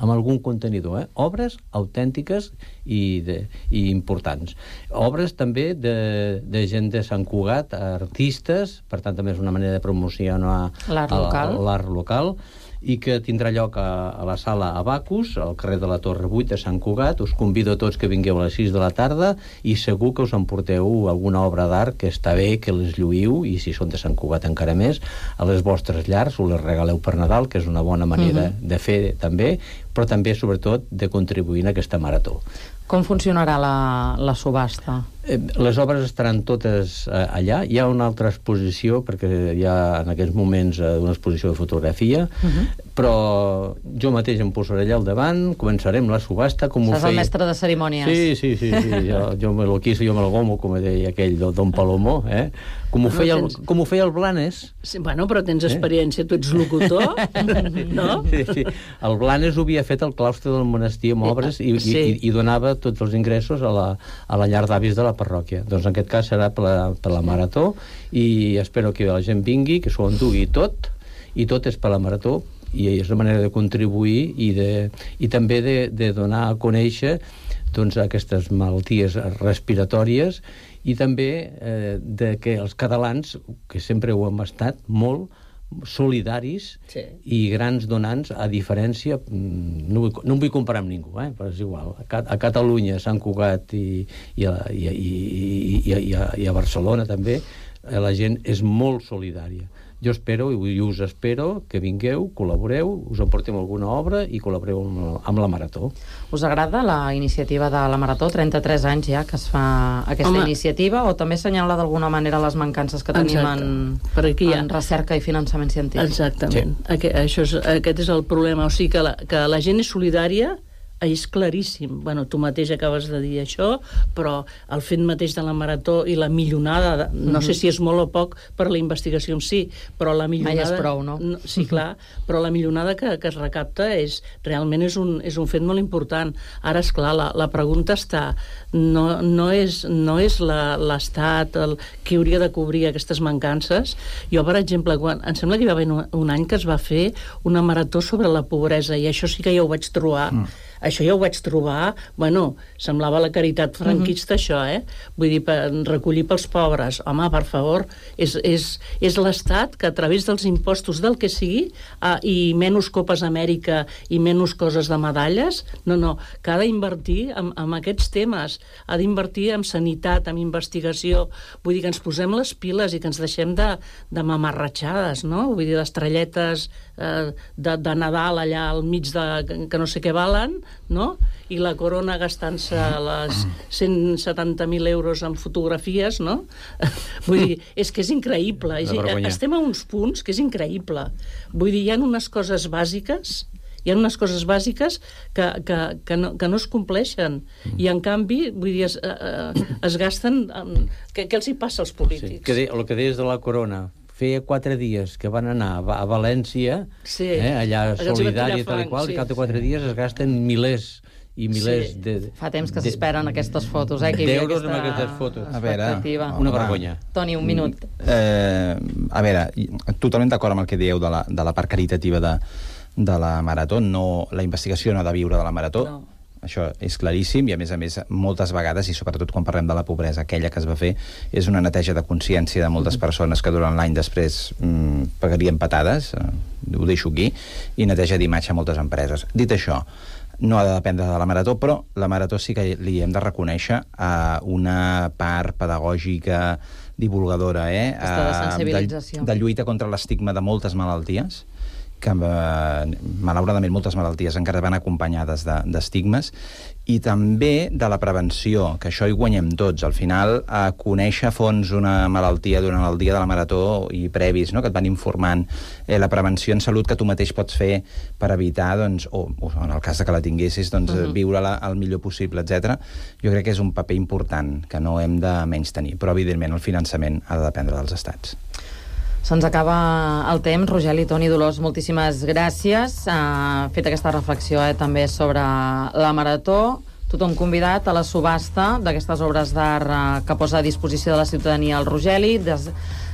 amb algun contenidor, eh? Obres autèntiques i, de, i importants. Obres també de, de gent de Sant Cugat, artistes, per tant també és una manera de promocionar l'art local. l'art local, i que tindrà lloc a, a la sala Abacus, al carrer de la Torre vuit de Sant Cugat. Us convido a tots que vingueu a les sis de la tarda i segur que us emporteu alguna obra d'art que està bé que les lluïu, i si són de Sant Cugat encara més, a les vostres llars, us les regaleu per Nadal, que és una bona manera uh-huh. de fer també, però també, sobretot, de contribuir en aquesta marató. Com funcionarà la, la subhasta? Eh, les obres estaran totes eh, allà. Hi ha una altra exposició, perquè hi ha en aquests moments eh, una exposició de fotografia, uh-huh. però jo mateix em posaré allà al davant, començarem la subhasta, com ho feia... feia... el mestre de cerimònies. Sí, sí, sí, sí. Jo, jo me lo quiso, jo me lo gomo, com deia aquell Don Palomó, eh? Com ho, no, feia, tens... el, com ho feia el Blanes. Sí, bueno, però tens experiència, eh? Tu ets locutor, no? Sí, sí. El Blanes ho havia fet al claustre del monestir amb obres i, sí. i, i donava tots els ingressos a la, a la llar d'avis de la parròquia. Doncs en aquest cas serà per la, per la marató, i espero que la gent vingui, que s'ho endugui tot, i tot és per la marató, i és una manera de contribuir i, de, i també de, de donar a conèixer doncs, aquestes malalties respiratòries, i també eh, de que els catalans, que sempre ho hem estat molt, solidaris sí. i grans donants, a diferència, no vull, no em vull comparar amb ningú, eh, però és igual, a, a Catalunya, a Sant Cugat i, i, a, i, i, i, i, a, i a Barcelona també, la gent és molt solidària. Jo espero, i us espero, que vingueu, col·laboreu, us emportem alguna obra i col·laboreu amb, amb la Marató. Us agrada la iniciativa de la Marató? trenta-tres anys ja que es fa aquesta Home. iniciativa, o també assenyala d'alguna manera les mancances que tenim en, en recerca i finançament científic? Exactament. Sí. Aquest, això és, aquest és el problema. O sigui que la, que la gent és solidària, és claríssim. Bueno, tu mateix acabes de dir això, però el fet mateix de la marató i la millonada, no mm-hmm. sé si és molt o poc per la investigació en si, però la millonada... Mai és prou, no? no sí, clar, però la millonada que, que es recapta és, realment és un, és un fet molt important. Ara, és clar, la, la pregunta està, no, no és, no és l'Estat el que hauria de cobrir aquestes mancances. Jo, per exemple, quan, em sembla que hi va haver un, un any que es va fer una marató sobre la pobresa, i això sí que ja ho vaig trobar mm. això ja ho vaig trobar, bueno, semblava la caritat franquista, mm-hmm. això, eh? Vull dir, per recollir pels pobres. Home, per favor, és, és, és l'Estat que a través dels impostos del que sigui, uh, i menys Copes Amèrica i menys coses de medalles, no, no, que ha d'invertir en, en aquests temes, ha d'invertir en sanitat, en investigació, vull dir que ens posem les piles i que ens deixem de, de mamarratxades, no? Vull dir, d'estrelletes eh, de, de Nadal allà al mig de que no sé què valen, no? I la corona gastant-se les cent setanta mil euros en fotografies, no? Vull dir, és que és increïble. És, estem a uns punts que és increïble. Vull dir, hi ha unes coses bàsiques hi ha unes coses bàsiques que, que, que, no, que no es compleixen. I, en canvi, vull dir, es, eh, es gasten... En... Què, què els hi passa als polítics? Sí, que de, el que deies de la corona, feia quatre dies que van anar a, a València, sí. eh, allà solidària i tal i qual, sí. I cada quatre dies es gasten milers i milers sí. de... Fa temps que s'esperen aquestes fotos, eh? D'euros amb aquestes fotos. A veure, una vergonya. Toni, un minut. Eh, a veure, totalment d'acord amb el que dieu de la, de la part caritativa de, de la Marató. No, la investigació no ha de viure de la Marató. No. Això és claríssim i, a més a més, moltes vegades, i sobretot quan parlem de la pobresa, aquella que es va fer és una neteja de consciència de moltes persones que durant l'any després mmm, pagarien patades, eh, ho deixo aquí, i neteja d'imatge a moltes empreses. Dit això, no ha de dependre de la Marató, però la Marató sí que li hem de reconèixer eh, una part pedagògica, divulgadora, eh, de sensibilització. De, de lluita contra l'estigma de moltes malalties, que eh, malauradament moltes malalties encara van acompanyades d'estigmes, i també de la prevenció, que això hi guanyem tots. Al final, a conèixer a fons una malaltia durant el dia de la Marató i previs, no?, que et van informant, eh, la prevenció en salut que tu mateix pots fer per evitar, doncs, o, o en el cas de que la tinguessis, doncs, uh-huh. viure-la el millor possible, etcètera. Jo crec que és un paper important que no hem de menystenir, però evidentment el finançament ha de dependre dels estats. Se'ns acaba el temps. Rogeli, Toni, Dolors, moltíssimes gràcies. Ha fet aquesta reflexió eh, també sobre la Marató. Tothom convidat a la subhasta d'aquestes obres d'art eh, que posa a disposició de la ciutadania el Rogeli des,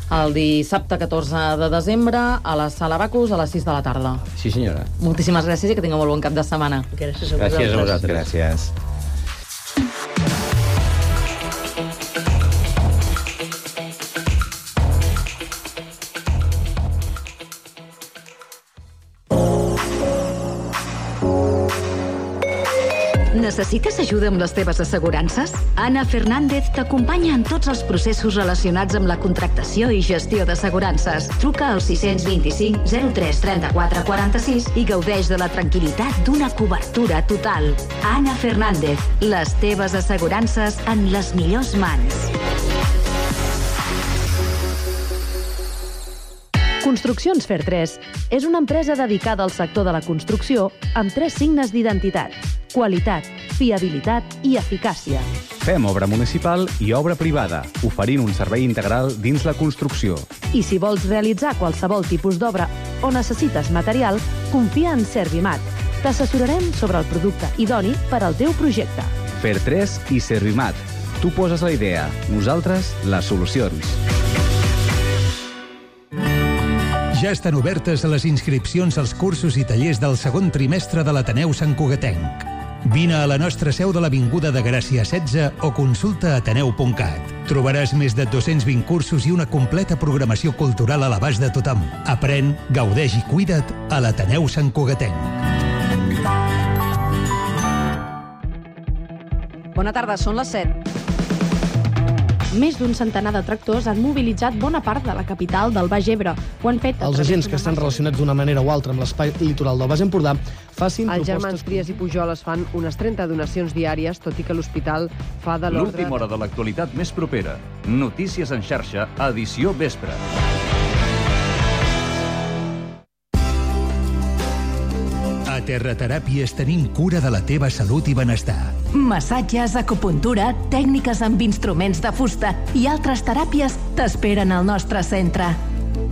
el dissabte catorze de desembre a la Sala Bacus a les sis de la tarda. Sí, senyora. Moltíssimes gràcies i que tingueu molt bon cap de setmana. Gràcies a vosaltres. Gràcies a vosaltres. Gràcies. Necessites ajuda amb les teves assegurances? Anna Fernández t'acompanya en tots els processos relacionats amb la contractació i gestió d'assegurances. Truca al sis vint cinc zero tres trenta-quatre quaranta-sis i gaudeix de la tranquil·litat d'una cobertura total. Anna Fernández, les teves assegurances en les millors mans. Construccions Fer tres és una empresa dedicada al sector de la construcció amb tres signes d'identitat: qualitat, fiabilitat i eficàcia. Fem obra municipal i obra privada, oferint un servei integral dins la construcció. I si vols realitzar qualsevol tipus d'obra o necessites material, confia en Servimat. T'assessorarem sobre el producte idoni per al teu projecte. Fer tres i Servimat. Tu poses la idea, nosaltres les solucions. Ja estan obertes les inscripcions als cursos i tallers del segon trimestre de l'Ateneu Sant Cugatenc. Vine a la nostra seu de l'Avinguda de Gràcia setze o consulta ateneu punt cat. Trobaràs més de dos-cents vint cursos i una completa programació cultural a l'abast de tothom. Aprèn, gaudeix i cuida't a l'Ateneu Sant Cugatenc. Bona tarda, són les set. Més d'un centenar de tractors han mobilitzat bona part de la capital del Baix Ebre. Ho han fet... Els agents que estan relacionats d'una manera o altra amb l'espai litoral del Baix Empordà facin propostes... Els germans Trias i Pujol es fan unes trenta donacions diàries, tot i que l'hospital fa de l'ordre... L'última hora de l'actualitat més propera. Notícies en xarxa, edició vespre. A Terrateràpies tenim cura de la teva salut i benestar. Massatges, acupuntura, tècniques amb instruments de fusta i altres teràpies t'esperen al nostre centre.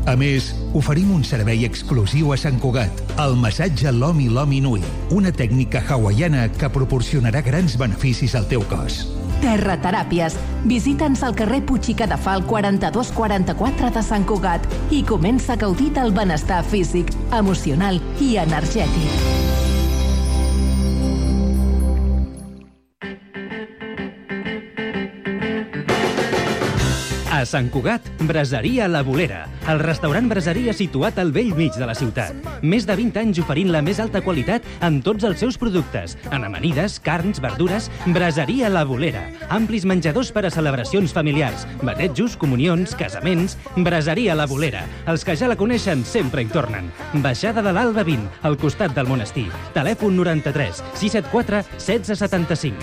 A més, oferim un servei exclusiu a Sant Cugat, el massatge Lomi Lomi Nui, una tècnica hawaiana que proporcionarà grans beneficis al teu cos. Terrateràpies. Visita'ns al carrer Puig i Cadafal quaranta-dos quaranta-quatre de Sant Cugat i comença a gaudir del benestar físic, emocional i energètic. A Sant Cugat, Braseria La Bolera, el restaurant braseria situat al vell mig de la ciutat. Més de vint anys oferint la més alta qualitat en tots els seus productes, en amanides, carns, verdures. Braseria La Bolera, amplis menjadors per a celebracions familiars, batejos, comunions, casaments. Braseria La Bolera, els que ja la coneixen sempre hi tornen. Baixada de l'Alba vint, al costat del monestir. Telèfon noranta-tres sis set quatre setze setanta-cinc.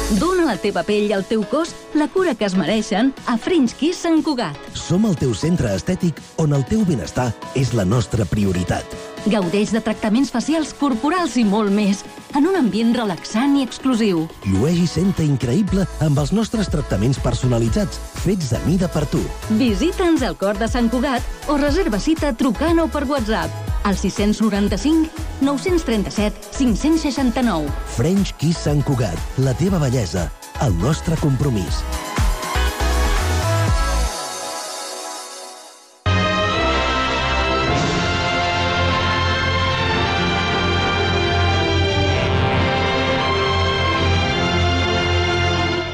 Dóna a la teva pell i al teu cos la cura que es mereixen a French Kiss Sant Cugat. Som el teu centre estètic on el teu benestar és la nostra prioritat. Gaudeix de tractaments facials, corporals i molt més, en un ambient relaxant i exclusiu. Llueix i senta increïble amb els nostres tractaments personalitzats, fets a mida per tu. Visita'ns al cor de Sant Cugat o reserva cita trucant o per WhatsApp al sis noranta-cinc nou trenta-set cinc seixanta-nou. French Kiss Sant Cugat, la teva bellesa, el nostre compromís.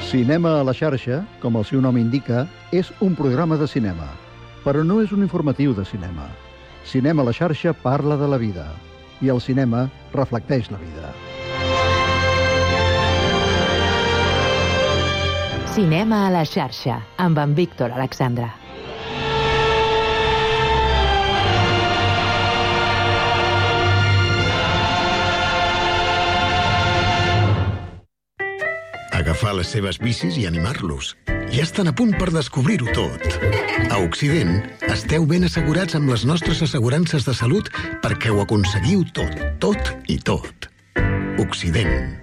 Cinema a la xarxa, com el seu nom indica, és un programa de cinema, però no és un informatiu de cinema. Cinema a la xarxa parla de la vida, i el cinema reflecteix la vida. Cinema a la xarxa, amb en Víctor Alexandra. Agafar les seves bicis i animar-los. Ja estan a punt per descobrir-ho tot. A Occident, esteu ben assegurats amb les nostres assegurances de salut perquè ho aconseguiu tot, tot i tot. Occident.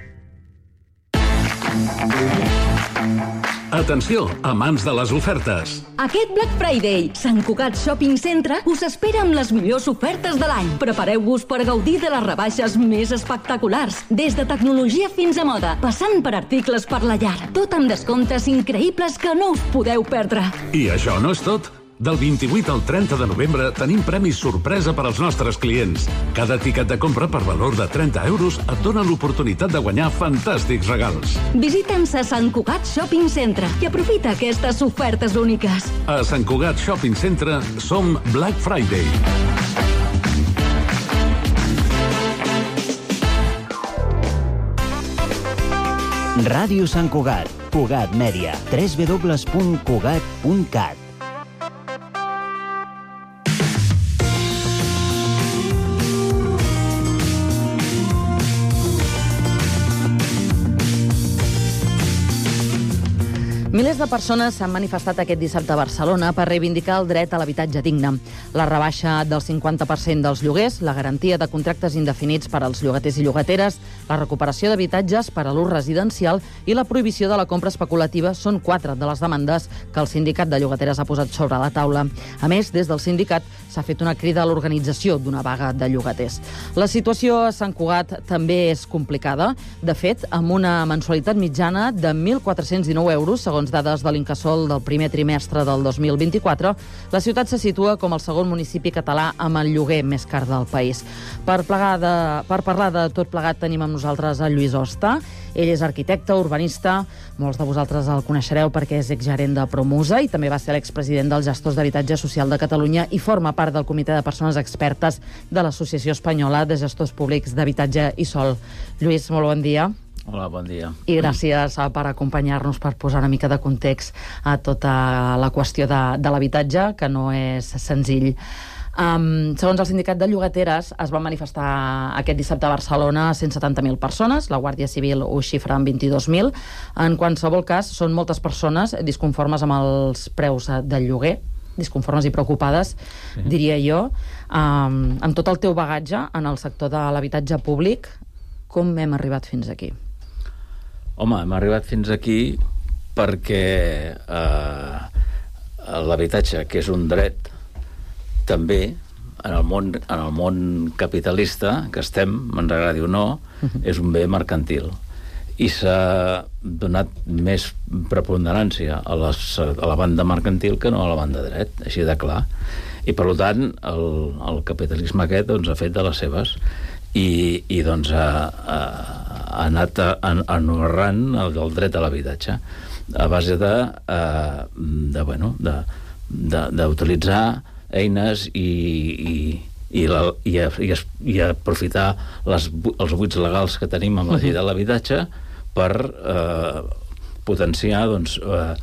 Atenció, amants de les ofertes. Aquest Black Friday, Sant Cugat Shopping Centre us espera amb les millors ofertes de l'any. Prepareu-vos per gaudir de les rebaixes més espectaculars, des de tecnologia fins a moda, passant per articles per la llar. Tot amb descomptes increïbles que no us podeu perdre. I això no és tot. Del vint-i-vuit al trenta de novembre tenim premis sorpresa per als nostres clients. Cada tiquet de compra per valor de trenta euros et dona l'oportunitat de guanyar fantàstics regals. Visita'ns a Sant Cugat Shopping Centre i aprofita aquestes ofertes úniques. A Sant Cugat Shopping Centre som Black Friday. Ràdio Sant Cugat, Cugat Mèdia, w w w punt cugat punt cat. Milers de persones s'han manifestat aquest dissabte a Barcelona per reivindicar el dret a l'habitatge digne. La rebaixa del cinquanta per cent dels lloguers, la garantia de contractes indefinits per als llogaters i llogateres, la recuperació d'habitatges per a l'ús residencial i la prohibició de la compra especulativa són quatre de les demandes que el sindicat de llogateres ha posat sobre la taula. A més, des del sindicat s'ha fet una crida a l'organització d'una vaga de llogaters. La situació a Sant Cugat també és complicada. De fet, amb una mensualitat mitjana de mil quatre-cents dinou euros, segons dades de l'Incasòl del primer trimestre del dos mil vint-i-quatre, la ciutat se situa com el segon municipi català amb el lloguer més car del país. Per, de, per parlar de tot plegat tenim amb nosaltres el Lluís Hosta. Ell és arquitecte, urbanista, molts de vosaltres el coneixereu perquè és exgerent de Promusa i també va ser l'expresident dels Gestors d'Habitatge Social de Catalunya i forma part del comitè de persones expertes de l'Associació Espanyola de Gestors Públics d'Habitatge i Sòl. Lluís, molt bon dia. Hola, bon dia. I gràcies per acompanyar-nos, per posar una mica de context a tota la qüestió de, de l'habitatge, que no és senzill. Um, segons el sindicat de llogateres, es van manifestar aquest dissabte a Barcelona cent setanta mil persones, la Guàrdia Civil ho xifra en vint-i-dos mil. En qualsevol cas, són moltes persones disconformes amb els preus del lloguer, disconformes i preocupades, sí. diria jo. Um, amb tot el teu bagatge en el sector de l'habitatge públic, com hem arribat fins aquí? Home, hem arribat fins aquí perquè eh, l'habitatge, que és un dret, també, en el món, en el món capitalista que estem, ens agradi o no, uh-huh. és un bé mercantil. I s'ha donat més preponderància a, les, a la banda mercantil que no a la banda dret, així de clar. I, per tant, el, el capitalisme aquest doncs, ha fet de les seves i, i doncs, ha, ha, ha anat anorrant el, el dret a l'habitatge a base de, uh, de bueno, de, de, d'utilitzar eines i, i, i, la, i, i, i aprofitar les, els buits legals que tenim amb la llei de l'habitatge per uh, potenciar doncs, uh,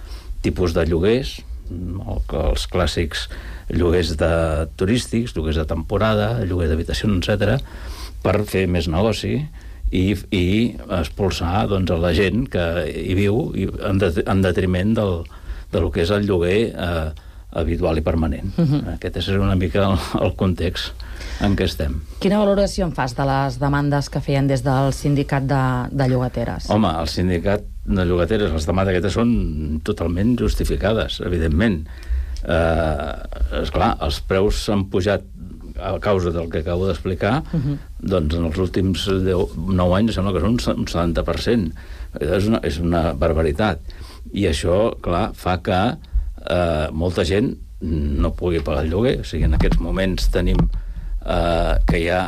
tipus de lloguers, els clàssics lloguers de turístics, lloguers de temporada, lloguers d'habitacions, etcètera, per fer més negoci i, i expulsar doncs, a la gent que hi viu i en, de, en detriment del, del que és el lloguer eh, habitual i permanent. Uh-huh. Aquest és una mica el, el context en què estem. Quina valoració en fas de les demandes que feien des del sindicat de, de llogateres? Home, el sindicat de llogateres, les demandes aquestes són totalment justificades, evidentment. Eh, esclar, els preus s'han pujat a causa del que acabo d'explicar, uh-huh. doncs en els últims nou anys sembla que són un setanta per cent. És una, és una barbaritat. I això, clar, fa que eh, molta gent no pugui pagar el lloguer. O sigui, en aquests moments tenim eh, que hi ha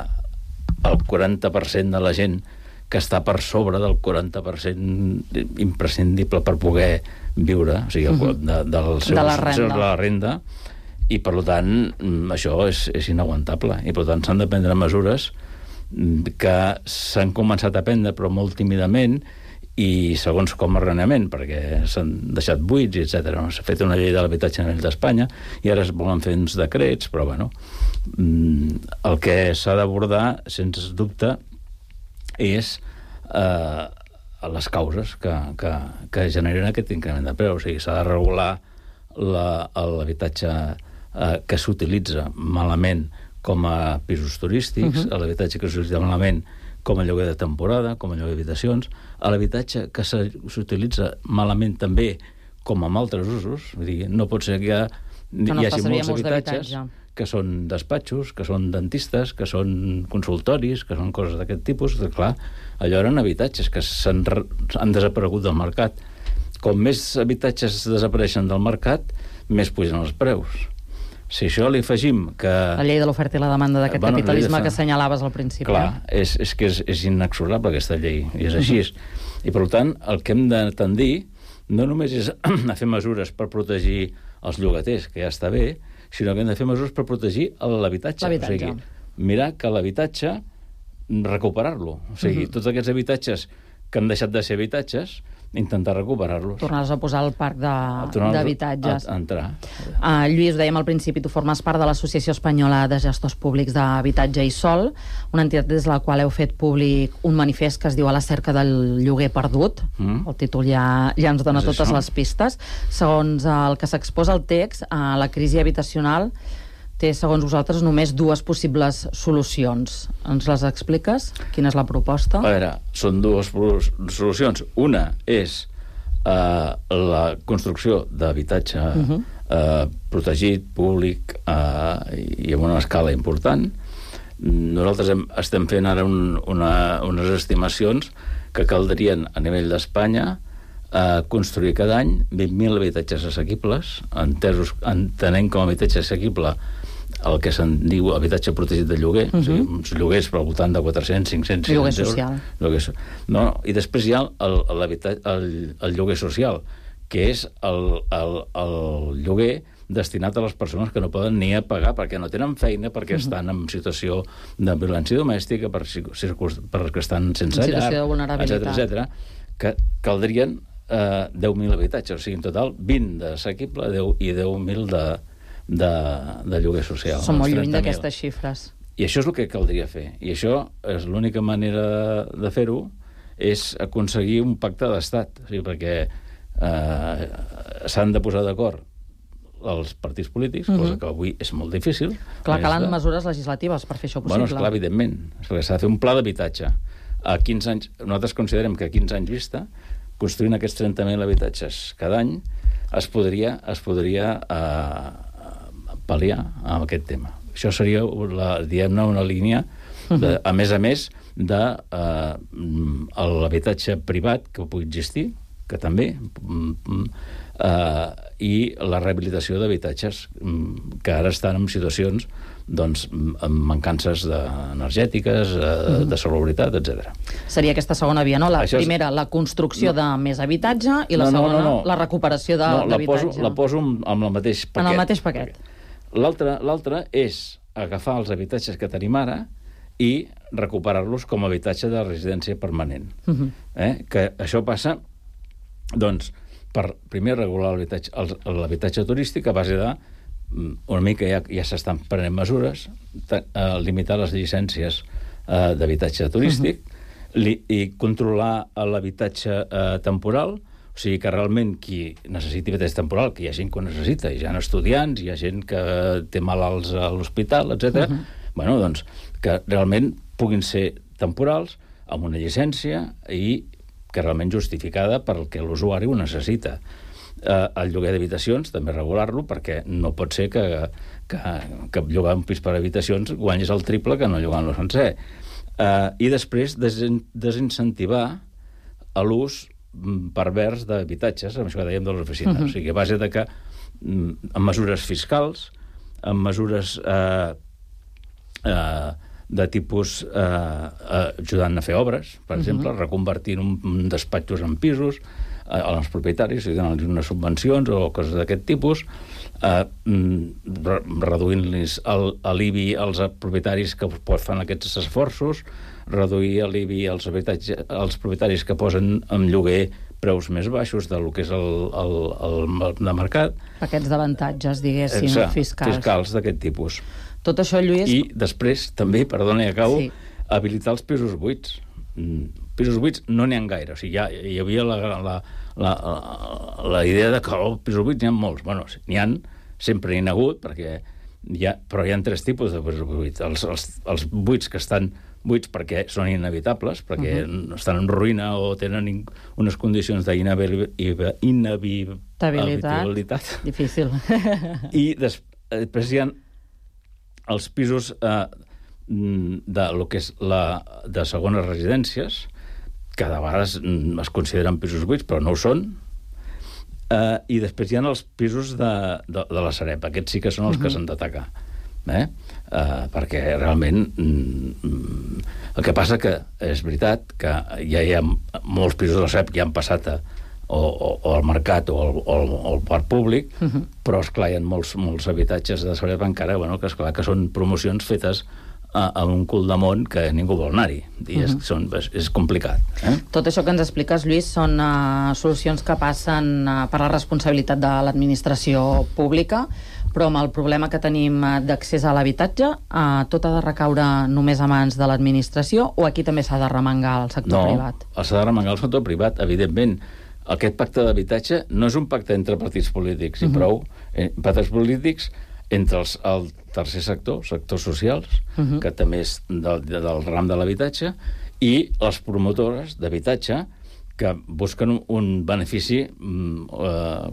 el quaranta per cent de la gent que està per sobre del quaranta per cent imprescindible per poder viure, o sigui, uh-huh. de, dels seus, de la renda. De la renda, i per tant això és, és inaguantable, i per tant s'han de prendre mesures que s'han començat a prendre però molt tímidament i segons com arrenament, perquè s'han deixat buits, etcètera. S'ha fet una llei de l'habitatge a nivell d'Espanya i ara es volen fer uns decrets, però bueno, el que s'ha d'abordar, sense dubte, és eh, les causes que, que, que generen aquest increment de preu. O sigui, s'ha de regular la, l'habitatge eh, que s'utilitza malament com a pisos turístics, uh-huh. l'habitatge que s'utilitza malament com a lloguer de temporada, com a lloguer d'habitacions, a l'habitatge que s'utilitza malament també com amb altres usos. Vull dir, no pot ser que hi, no hi hagi molts habitatges que són despatxos, que són dentistes, que són consultoris, que són coses d'aquest tipus. Clar, allò eren habitatges que s'han, han desaparegut del mercat. Com més habitatges desapareixen del mercat, més pugen els preus. Si això li afegim que... La llei de l'oferta i la demanda d'aquest bueno, capitalisme de... que assenyalaves al principi. Clar, és, és que és, és inexorable aquesta llei, i és així. Uh-huh. I per tant, el que hem de tendir no només és a fer mesures per protegir els llogaters, que ja està bé, sinó que hem de fer mesures per protegir l'habitatge. L'habitatge. O sigui, mirar que l'habitatge, recuperar-lo. O sigui, uh-huh. tots aquests habitatges que han deixat de ser habitatges, intentar recuperar-los. Tornar-los a posar al parc d'habitatges. A, a entrar. Uh, Lluís, ho dèiem al principi, tu formes part de l'Associació Espanyola de Gestors Públics d'Habitatge i Sòl, una entitat des de la qual heu fet públic un manifest que es diu A la cerca del lloguer perdut. Mm. El títol ja, ja ens dona és totes això. Les pistes. Segons el que s'exposa al text, uh, la crisi habitacional té, segons vosaltres, només dues possibles solucions. Ens les expliques? Quina és la proposta? A veure, són dues solucions. Una és eh, la construcció d'habitatge uh-huh. eh, protegit, públic eh, i amb una escala important. Nosaltres hem, estem fent ara un, una, unes estimacions que caldrien a nivell d'Espanya eh, construir cada any vint mil habitatges assequibles, entesos, entenent com a habitatge assequible el que se'n diu habitatge protegit de lloguer, uh-huh. o sigui, uns lloguers per al voltant de quatre-cents, cinc-cents, lloguer social. Lloguer so... no, no, i després hi ha el, el, el lloguer social, que és el, el, el lloguer destinat a les persones que no poden ni a pagar perquè no tenen feina, perquè uh-huh. estan en situació de violència domèstica, per, perquè estan sense llar, etcètera, etcètera, que caldrien eh, deu mil habitatges, o sigui, en total vint d'assequible i deu mil de De, de lloguer social. Som molt lluny d'aquestes xifres. I això és el que caldria fer. I això és l'única manera de fer-ho, és aconseguir un pacte d'estat. O sigui, perquè eh, s'han de posar d'acord els partits polítics, uh-huh. cosa que avui és molt difícil. Clar, calen de... mesures legislatives per fer això possible. Bueno, esclar, evidentment. S'ha de fer un pla d'habitatge. A quinze anys, nosaltres considerem que a quinze anys vista, construint aquests trenta mil habitatges cada any, es podria, es podria eh, pal·liar amb aquest tema. Això seria, la, diguem-ne, una línia, de, a més a més, de eh, l'habitatge privat que pugui existir, que també, eh, i la rehabilitació d'habitatges que ara estan en situacions doncs, amb mancances de, energètiques, de, de salubritat, etcètera. Seria aquesta segona via, no? La Això és... primera, la construcció no. de més habitatge, i la no, no, segona, no, no. la recuperació de, no, d'habitatge. La poso, la poso amb el mateix paquet. En el mateix paquet. L'altre, l'altre és agafar els habitatges que tenim ara i recuperar-los com a habitatge de residència permanent. Uh-huh. eh? Que això passa, doncs, per primer regular l'habitatge, l'habitatge turístic a base de una mica ja, ja s'estan prenent mesures, ta, eh, limitar les llicències eh, d'habitatge turístic uh-huh. li, i controlar l'habitatge eh, temporal, o sigui que realment qui necessiti habitatge temporal, que hi ha gent que ho necessita, hi ha estudiants, hi ha gent que té malalts a l'hospital, etcètera. Uh-huh. Bueno, doncs, que realment puguin ser temporals, amb una llicència i que realment justificada pel que l'usuari ho necessita. Eh, el lloguer d'habitacions, també regular-lo, perquè no pot ser que, que, que llogar un pis per habitacions guanyis el triple que no llogant-lo sencer. Eh, I després desen, desincentivar a l'ús pervers d'habitatges, amb això que dèiem de les oficines. Uh-huh. O sigui, a base de que, amb mesures fiscals, amb mesures eh, eh, de tipus eh, eh, ajudant a fer obres, per uh-huh. exemple, reconvertint un, un despatxos en pisos, eh, als propietaris, i donant-los unes subvencions o coses d'aquest tipus, eh, re, reduint-los l'I B I als propietaris que fan aquests esforços, reduir l'I B I als, als propietaris que posen en lloguer preus més baixos del que és el, el, el de mercat. Paquets d'avantatges, diguéssim, Exacte, fiscals. Fiscals d'aquest tipus. Tot això, Lluís... I després, també, perdona, ja acabo, sí. habilitar els pisos buits. Mm, pisos buits no n'hi ha gaire. O sigui, ja, hi havia la, la, la, la, la idea de que oh, pisos buits n'hi ha molts. Bueno, n'hi ha, sempre n'hi ha hagut, perquè hi ha, però hi ha tres tipus de pisos buits. Els, els, els buits que estan buits perquè són inevitables, perquè uh-huh. estan en ruïna o tenen unes condicions d'inhabitabilitat. Difícil. I des, després hi ha els pisos eh, de lo que és la, de segones residències, que de vegades es consideren pisos buits, però no ho són. Eh, I després hi ha els pisos de, de, de la Sareb. Aquests sí que són els uh-huh. que s'han d'atacar. Eh? Uh, perquè realment mm, el que passa que és veritat que ja hi ha molts pisos de la Sareb que ja han passat a, o, o, o al mercat o al, o al, o al parc públic, uh-huh. però esclar hi ha molts, molts habitatges de Sareb encara, bueno, que esclar que són promocions fetes a, a un cul de món que ningú vol anar-hi i és, uh-huh. són, és, és complicat. Eh? Tot això que ens expliques, Lluís, són uh, solucions que passen uh, per la responsabilitat de l'administració pública, però amb el problema que tenim d'accés a l'habitatge, eh, tot ha de recaure només a mans de l'administració o aquí també s'ha de remengar el sector no, privat? No, s'ha de remengar el sector privat, evidentment. Aquest pacte d'habitatge no és un pacte entre partits polítics, i uh-huh. prou. Eh, partits polítics entre els, el tercer sector, sectors socials, uh-huh. que també és del, del ram de l'habitatge, i les promotores d'habitatge que busquen un, un benefici eh,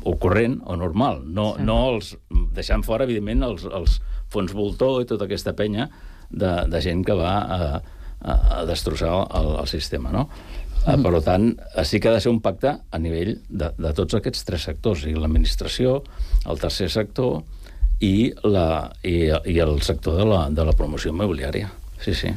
ocorrent o normal, no, sí. no els, deixant fora, evidentment, els, els fons voltor i tota aquesta penya de, de gent que va a, a, a destrossar el, el sistema, no? Mm. Per tant, sí que ha de ser un pacte a nivell de, de tots aquests tres sectors, i l'administració, el tercer sector i, la, i, i el sector de la, de la promoció immobiliària. Sí, sí.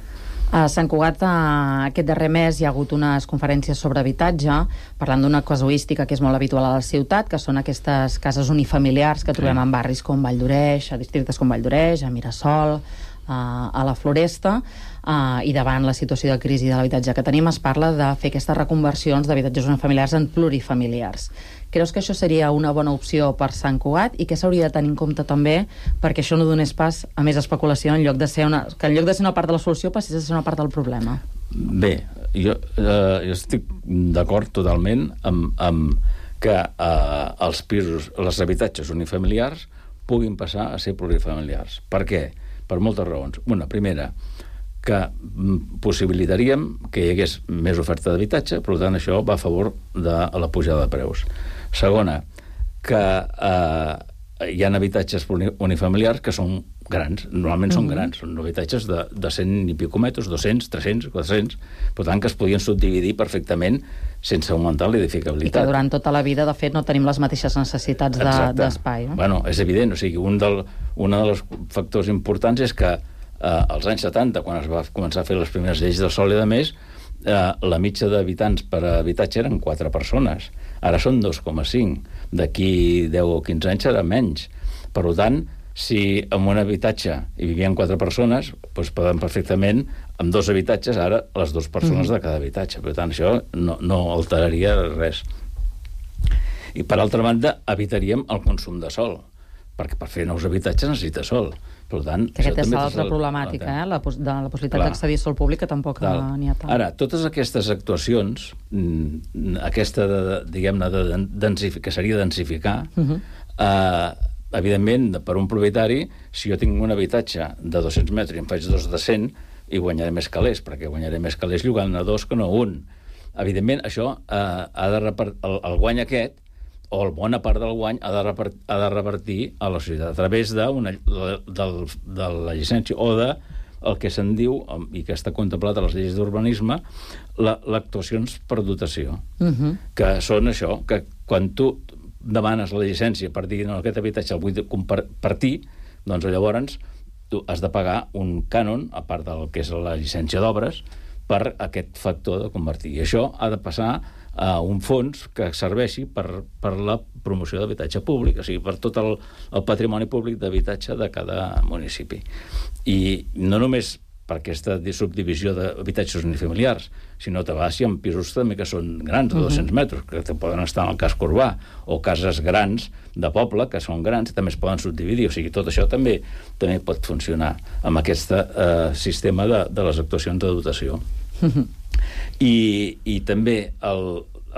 A Sant Cugat, aquest darrer mes, hi ha hagut unes conferències sobre habitatge, parlant d'una casuística que és molt habitual a la ciutat, que són aquestes cases unifamiliars que trobem sí. en barris com Vall d'Oreix, a districtes com Vall d'Oreix, a Mirasol, a la Floresta, i davant la situació de crisi de l'habitatge que tenim, es parla de fer aquestes reconversions d'habitatges unifamiliars en plurifamiliars. Creus que això seria una bona opció per Sant Cugat i què s'hauria de tenir en compte també perquè això no donés pas a més especulació en lloc de ser una, que en lloc de ser una part de la solució passés a ser una part del problema? Bé, jo, eh, jo estic d'acord totalment amb, amb que eh, els pisos, els habitatges unifamiliars puguin passar a ser plurifamiliars. Per què? Per moltes raons. Una, primera, que possibilitaríem que hi hagués més oferta d'habitatge, per tant això va a favor de la pujada de preus. Segona, que eh, hi ha habitatges unifamiliars que són grans, normalment són Mhm. grans, són habitatges de, de cent i pico metres, dos-cents, tres-cents, quatre-cents, per tant que es podien subdividir perfectament sense augmentar I que l'edificabilitat. durant tota la vida, de fet, no tenim les mateixes necessitats de- Exacte. d'espai. No? Bueno, és evident, o sigui, un, del, un dels factors importants és que eh, als anys setanta, quan es va començar a fer les primeres lleis del sòl i de més, eh, la mitja d'habitants per habitatge eren quatre persones. Ara són dos coma cinc. D'aquí deu o quinze anys serà menys. Per tant, si en un habitatge hi vivien quatre persones, doncs poden perfectament, amb dos habitatges, ara les dues persones Mhm. de cada habitatge. Per tant, això no, no alteraria res. I, per altra banda, evitaríem el consum de sòl, perquè per fer nous habitatges necessita sòl. Per tant, Que aquest això és també l'altra és el- problemàtica, eh? la, pos de la possibilitat Clar. d'accedir a sòl públic, que tampoc Clar. n'hi ha tant. Ara, totes aquestes actuacions, mm, aquesta, de, diguem-ne, de densificar, que seria densificar, Mhm. eh, evidentment, per un propietari, si jo tinc un habitatge de dos-cents metres i em faig dos de cent, hi guanyaré més calés, perquè guanyaré més calés llogant a dos que no a un. Evidentment, això eh, ha de repart... el, el guany aquest, o el bona part del guany, ha de, repart... ha de revertir a la societat a través de, una... del... de la llicència o de el que se'n diu, i que està contemplat a les lleis d'urbanisme, l'actuacions per dotació, Mhm. que són això, que quan tu demanes la llicència per dir no, aquest habitatge el vull compartir, doncs llavors tu has de pagar un cànon, a part del que és la llicència d'obres, per aquest factor de convertir. I això ha de passar a un fons que serveixi per, per la promoció d'habitatge públic, o sigui, per tot el, el patrimoni públic d'habitatge de cada municipi. I no només per aquesta subdivisió d'habitatges unifamiliars, sinó que vas amb pisos també que són grans, de dos-cents metres, que poden estar en el casc urbà, o cases grans de poble, que són grans, i també es poden subdividir. O sigui, tot això també també pot funcionar amb aquest eh, sistema de, de les actuacions de dotació. I, i també, el,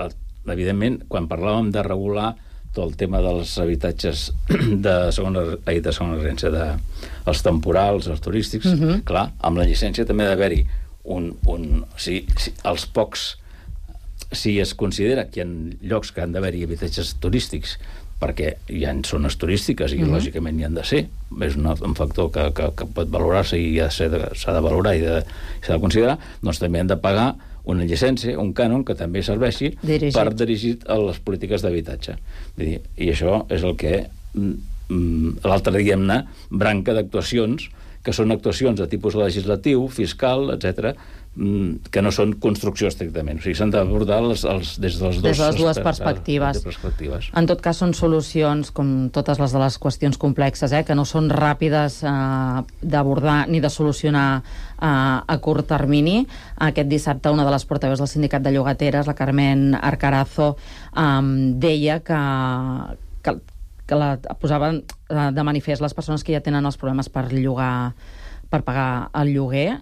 el, evidentment, quan parlàvem de regular tot el tema dels habitatges de segona, ai, de segona residència, de, els temporals, els turístics, Mhm. clar, amb la llicència també ha d'haver-hi un... un si, si, els pocs... Si es considera que hi ha llocs que han d'haver-hi habitatges turístics perquè hi ha zones turístiques i, Mhm. lògicament, hi han de ser. És un, un factor que, que, que pot valorar-se i s'ha de, s'ha de valorar i de, s'ha de considerar, doncs també han de pagar una llicència, un cànon, que també serveixi Dirigit. per dirigir a les polítiques d'habitatge. Vull dir, i això és el que mm, l'altra, diguem-ne, branca d'actuacions, que són actuacions de tipus legislatiu, fiscal, etcètera, mm, que no són construcció estrictament. O sigui, s'han d'abordar els, els, des de les, Des de les dues aspe- perspectives. perspectives. En tot cas, són solucions, com totes les de les qüestions complexes, eh, que no són ràpides eh, d'abordar ni de solucionar eh, a curt termini. Aquest dissabte, una de les portaveus del sindicat de llogateres, la Carmen Arcarazo, eh, deia que, que, que la posaven eh, de manifest les persones que ja tenen els problemes per llogar, per pagar el lloguer.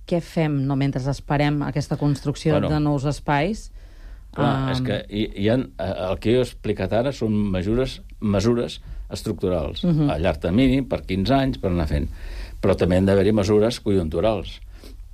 Què fem, no, mentre esperem aquesta construcció Bueno. de nous espais? Clar, Um, és que hi, hi ha, el que jo he explicat ara són mesures, mesures estructurals, Mhm. a llarg termini, per quinze anys, per anar fent. Però també han d'haver-hi mesures conjunturals,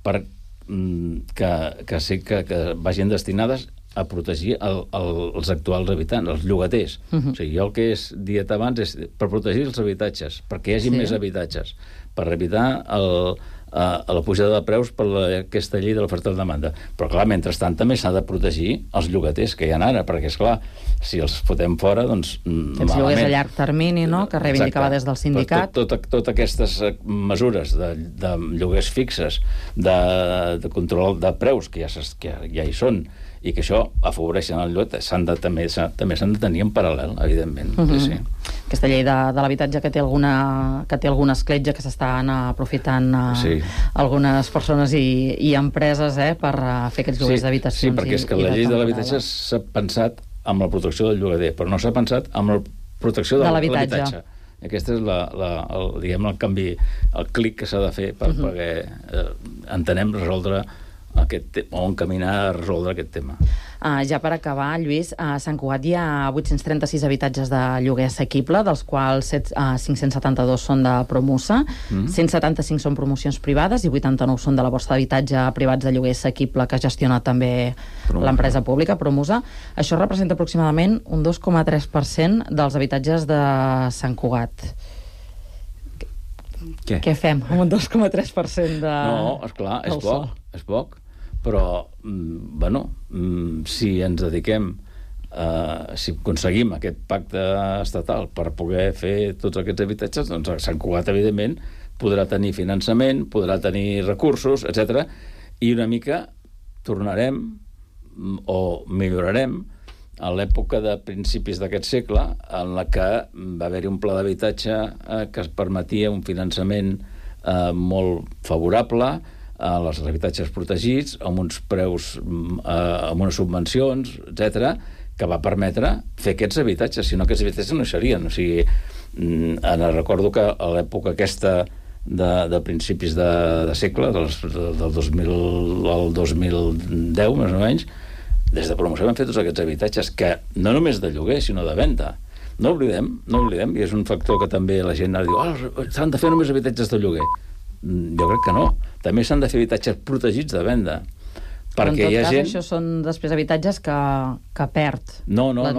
per, mm, que, que sí que, que vagin destinades a protegir el, el, els actuals habitants, els llogaters. Mhm. O sigui, jo el que he dit abans és per protegir els habitatges, perquè hi hagi Sí. més habitatges, per evitar el, a, a la pujada de preus per la, aquesta llei de l'oferta i la demanda. Però, clar, mentrestant també s'ha de protegir els llogaters que hi ha ara, perquè, és clar, si els fotem fora, doncs mm, Aquests lloguers a malament. llarg termini, no?, que reivindicava Exacte. des del sindicat. Tot, tot, tot aquestes eh, mesures de, de lloguers fixes, de, de control de preus, que ja, s'es- que ja hi són, i que això afavoreixen el lloguer, s'han de, també s'ha- també s'han de tenir en paral·lel, evidentment. Mhm. Sí, sí. Aquesta llei de, de l'habitatge que té alguna que té alguna escletxa, que s'estan uh, aprofitant uh, Sí. algunes persones i, i empreses eh, per uh, fer aquests lloguers Sí, d'habitacions. sí, perquè és que i, i la llei de temporada. l'habitatge s'ha pensat amb la protecció del llogater, però no s'ha pensat amb la protecció De de l'habitatge. l'habitatge. Aquest és la, la, el, diguem, el canvi, el clic que s'ha de fer per, Mhm. perquè eh, entenem resoldre aquest tema, o encaminar a resoldre aquest tema. Uh, ja per acabar, Lluís, a Sant Cugat hi ha vuit-cents trenta-sis habitatges de lloguer assequible, dels quals set, uh, cinc-cents setanta-dos són de Promusa, Mm. cent setanta-cinc són promocions privades i vuitanta-nou són de la borsa d'habitatge privats de lloguer assequible que gestiona també Promusa. l'empresa pública, Promusa. Això representa aproximadament un dos coma tres per cent dels habitatges de Sant Cugat. Què? Què fem amb un dos coma tres per cent de... No, esclar, és poc, és poc. Però, bueno, si ens dediquem, eh, si aconseguim aquest pacte estatal per poder fer tots aquests habitatges, doncs Sant Cugat, evidentment, podrà tenir finançament, podrà tenir recursos, etcètera, i una mica tornarem o millorarem a l'època de principis d'aquest segle, en la que va haver-hi un pla d'habitatge eh, que es permetia un finançament eh, molt favorable a els habitatges protegits, amb uns preus, eh, amb unes subvencions, etcètera, que va permetre fer aquests habitatges, si no aquests habitatges no hi serien. O sigui, ara recordo que a l'època aquesta de, de principis de, de segle, dels, del dos mil al dos mil deu, més o menys, des de promoció vam fer tots aquests habitatges, que no només de lloguer, sinó de venda. No oblidem, no oblidem, i és un factor que també la gent ara diu, oh, s'han de fer només habitatges de lloguer. Jo crec que no. També s'han de fer habitatges protegits de venda. Però en Perquè tot hi ha cas, gent... això són després habitatges que, que perd no, no, no,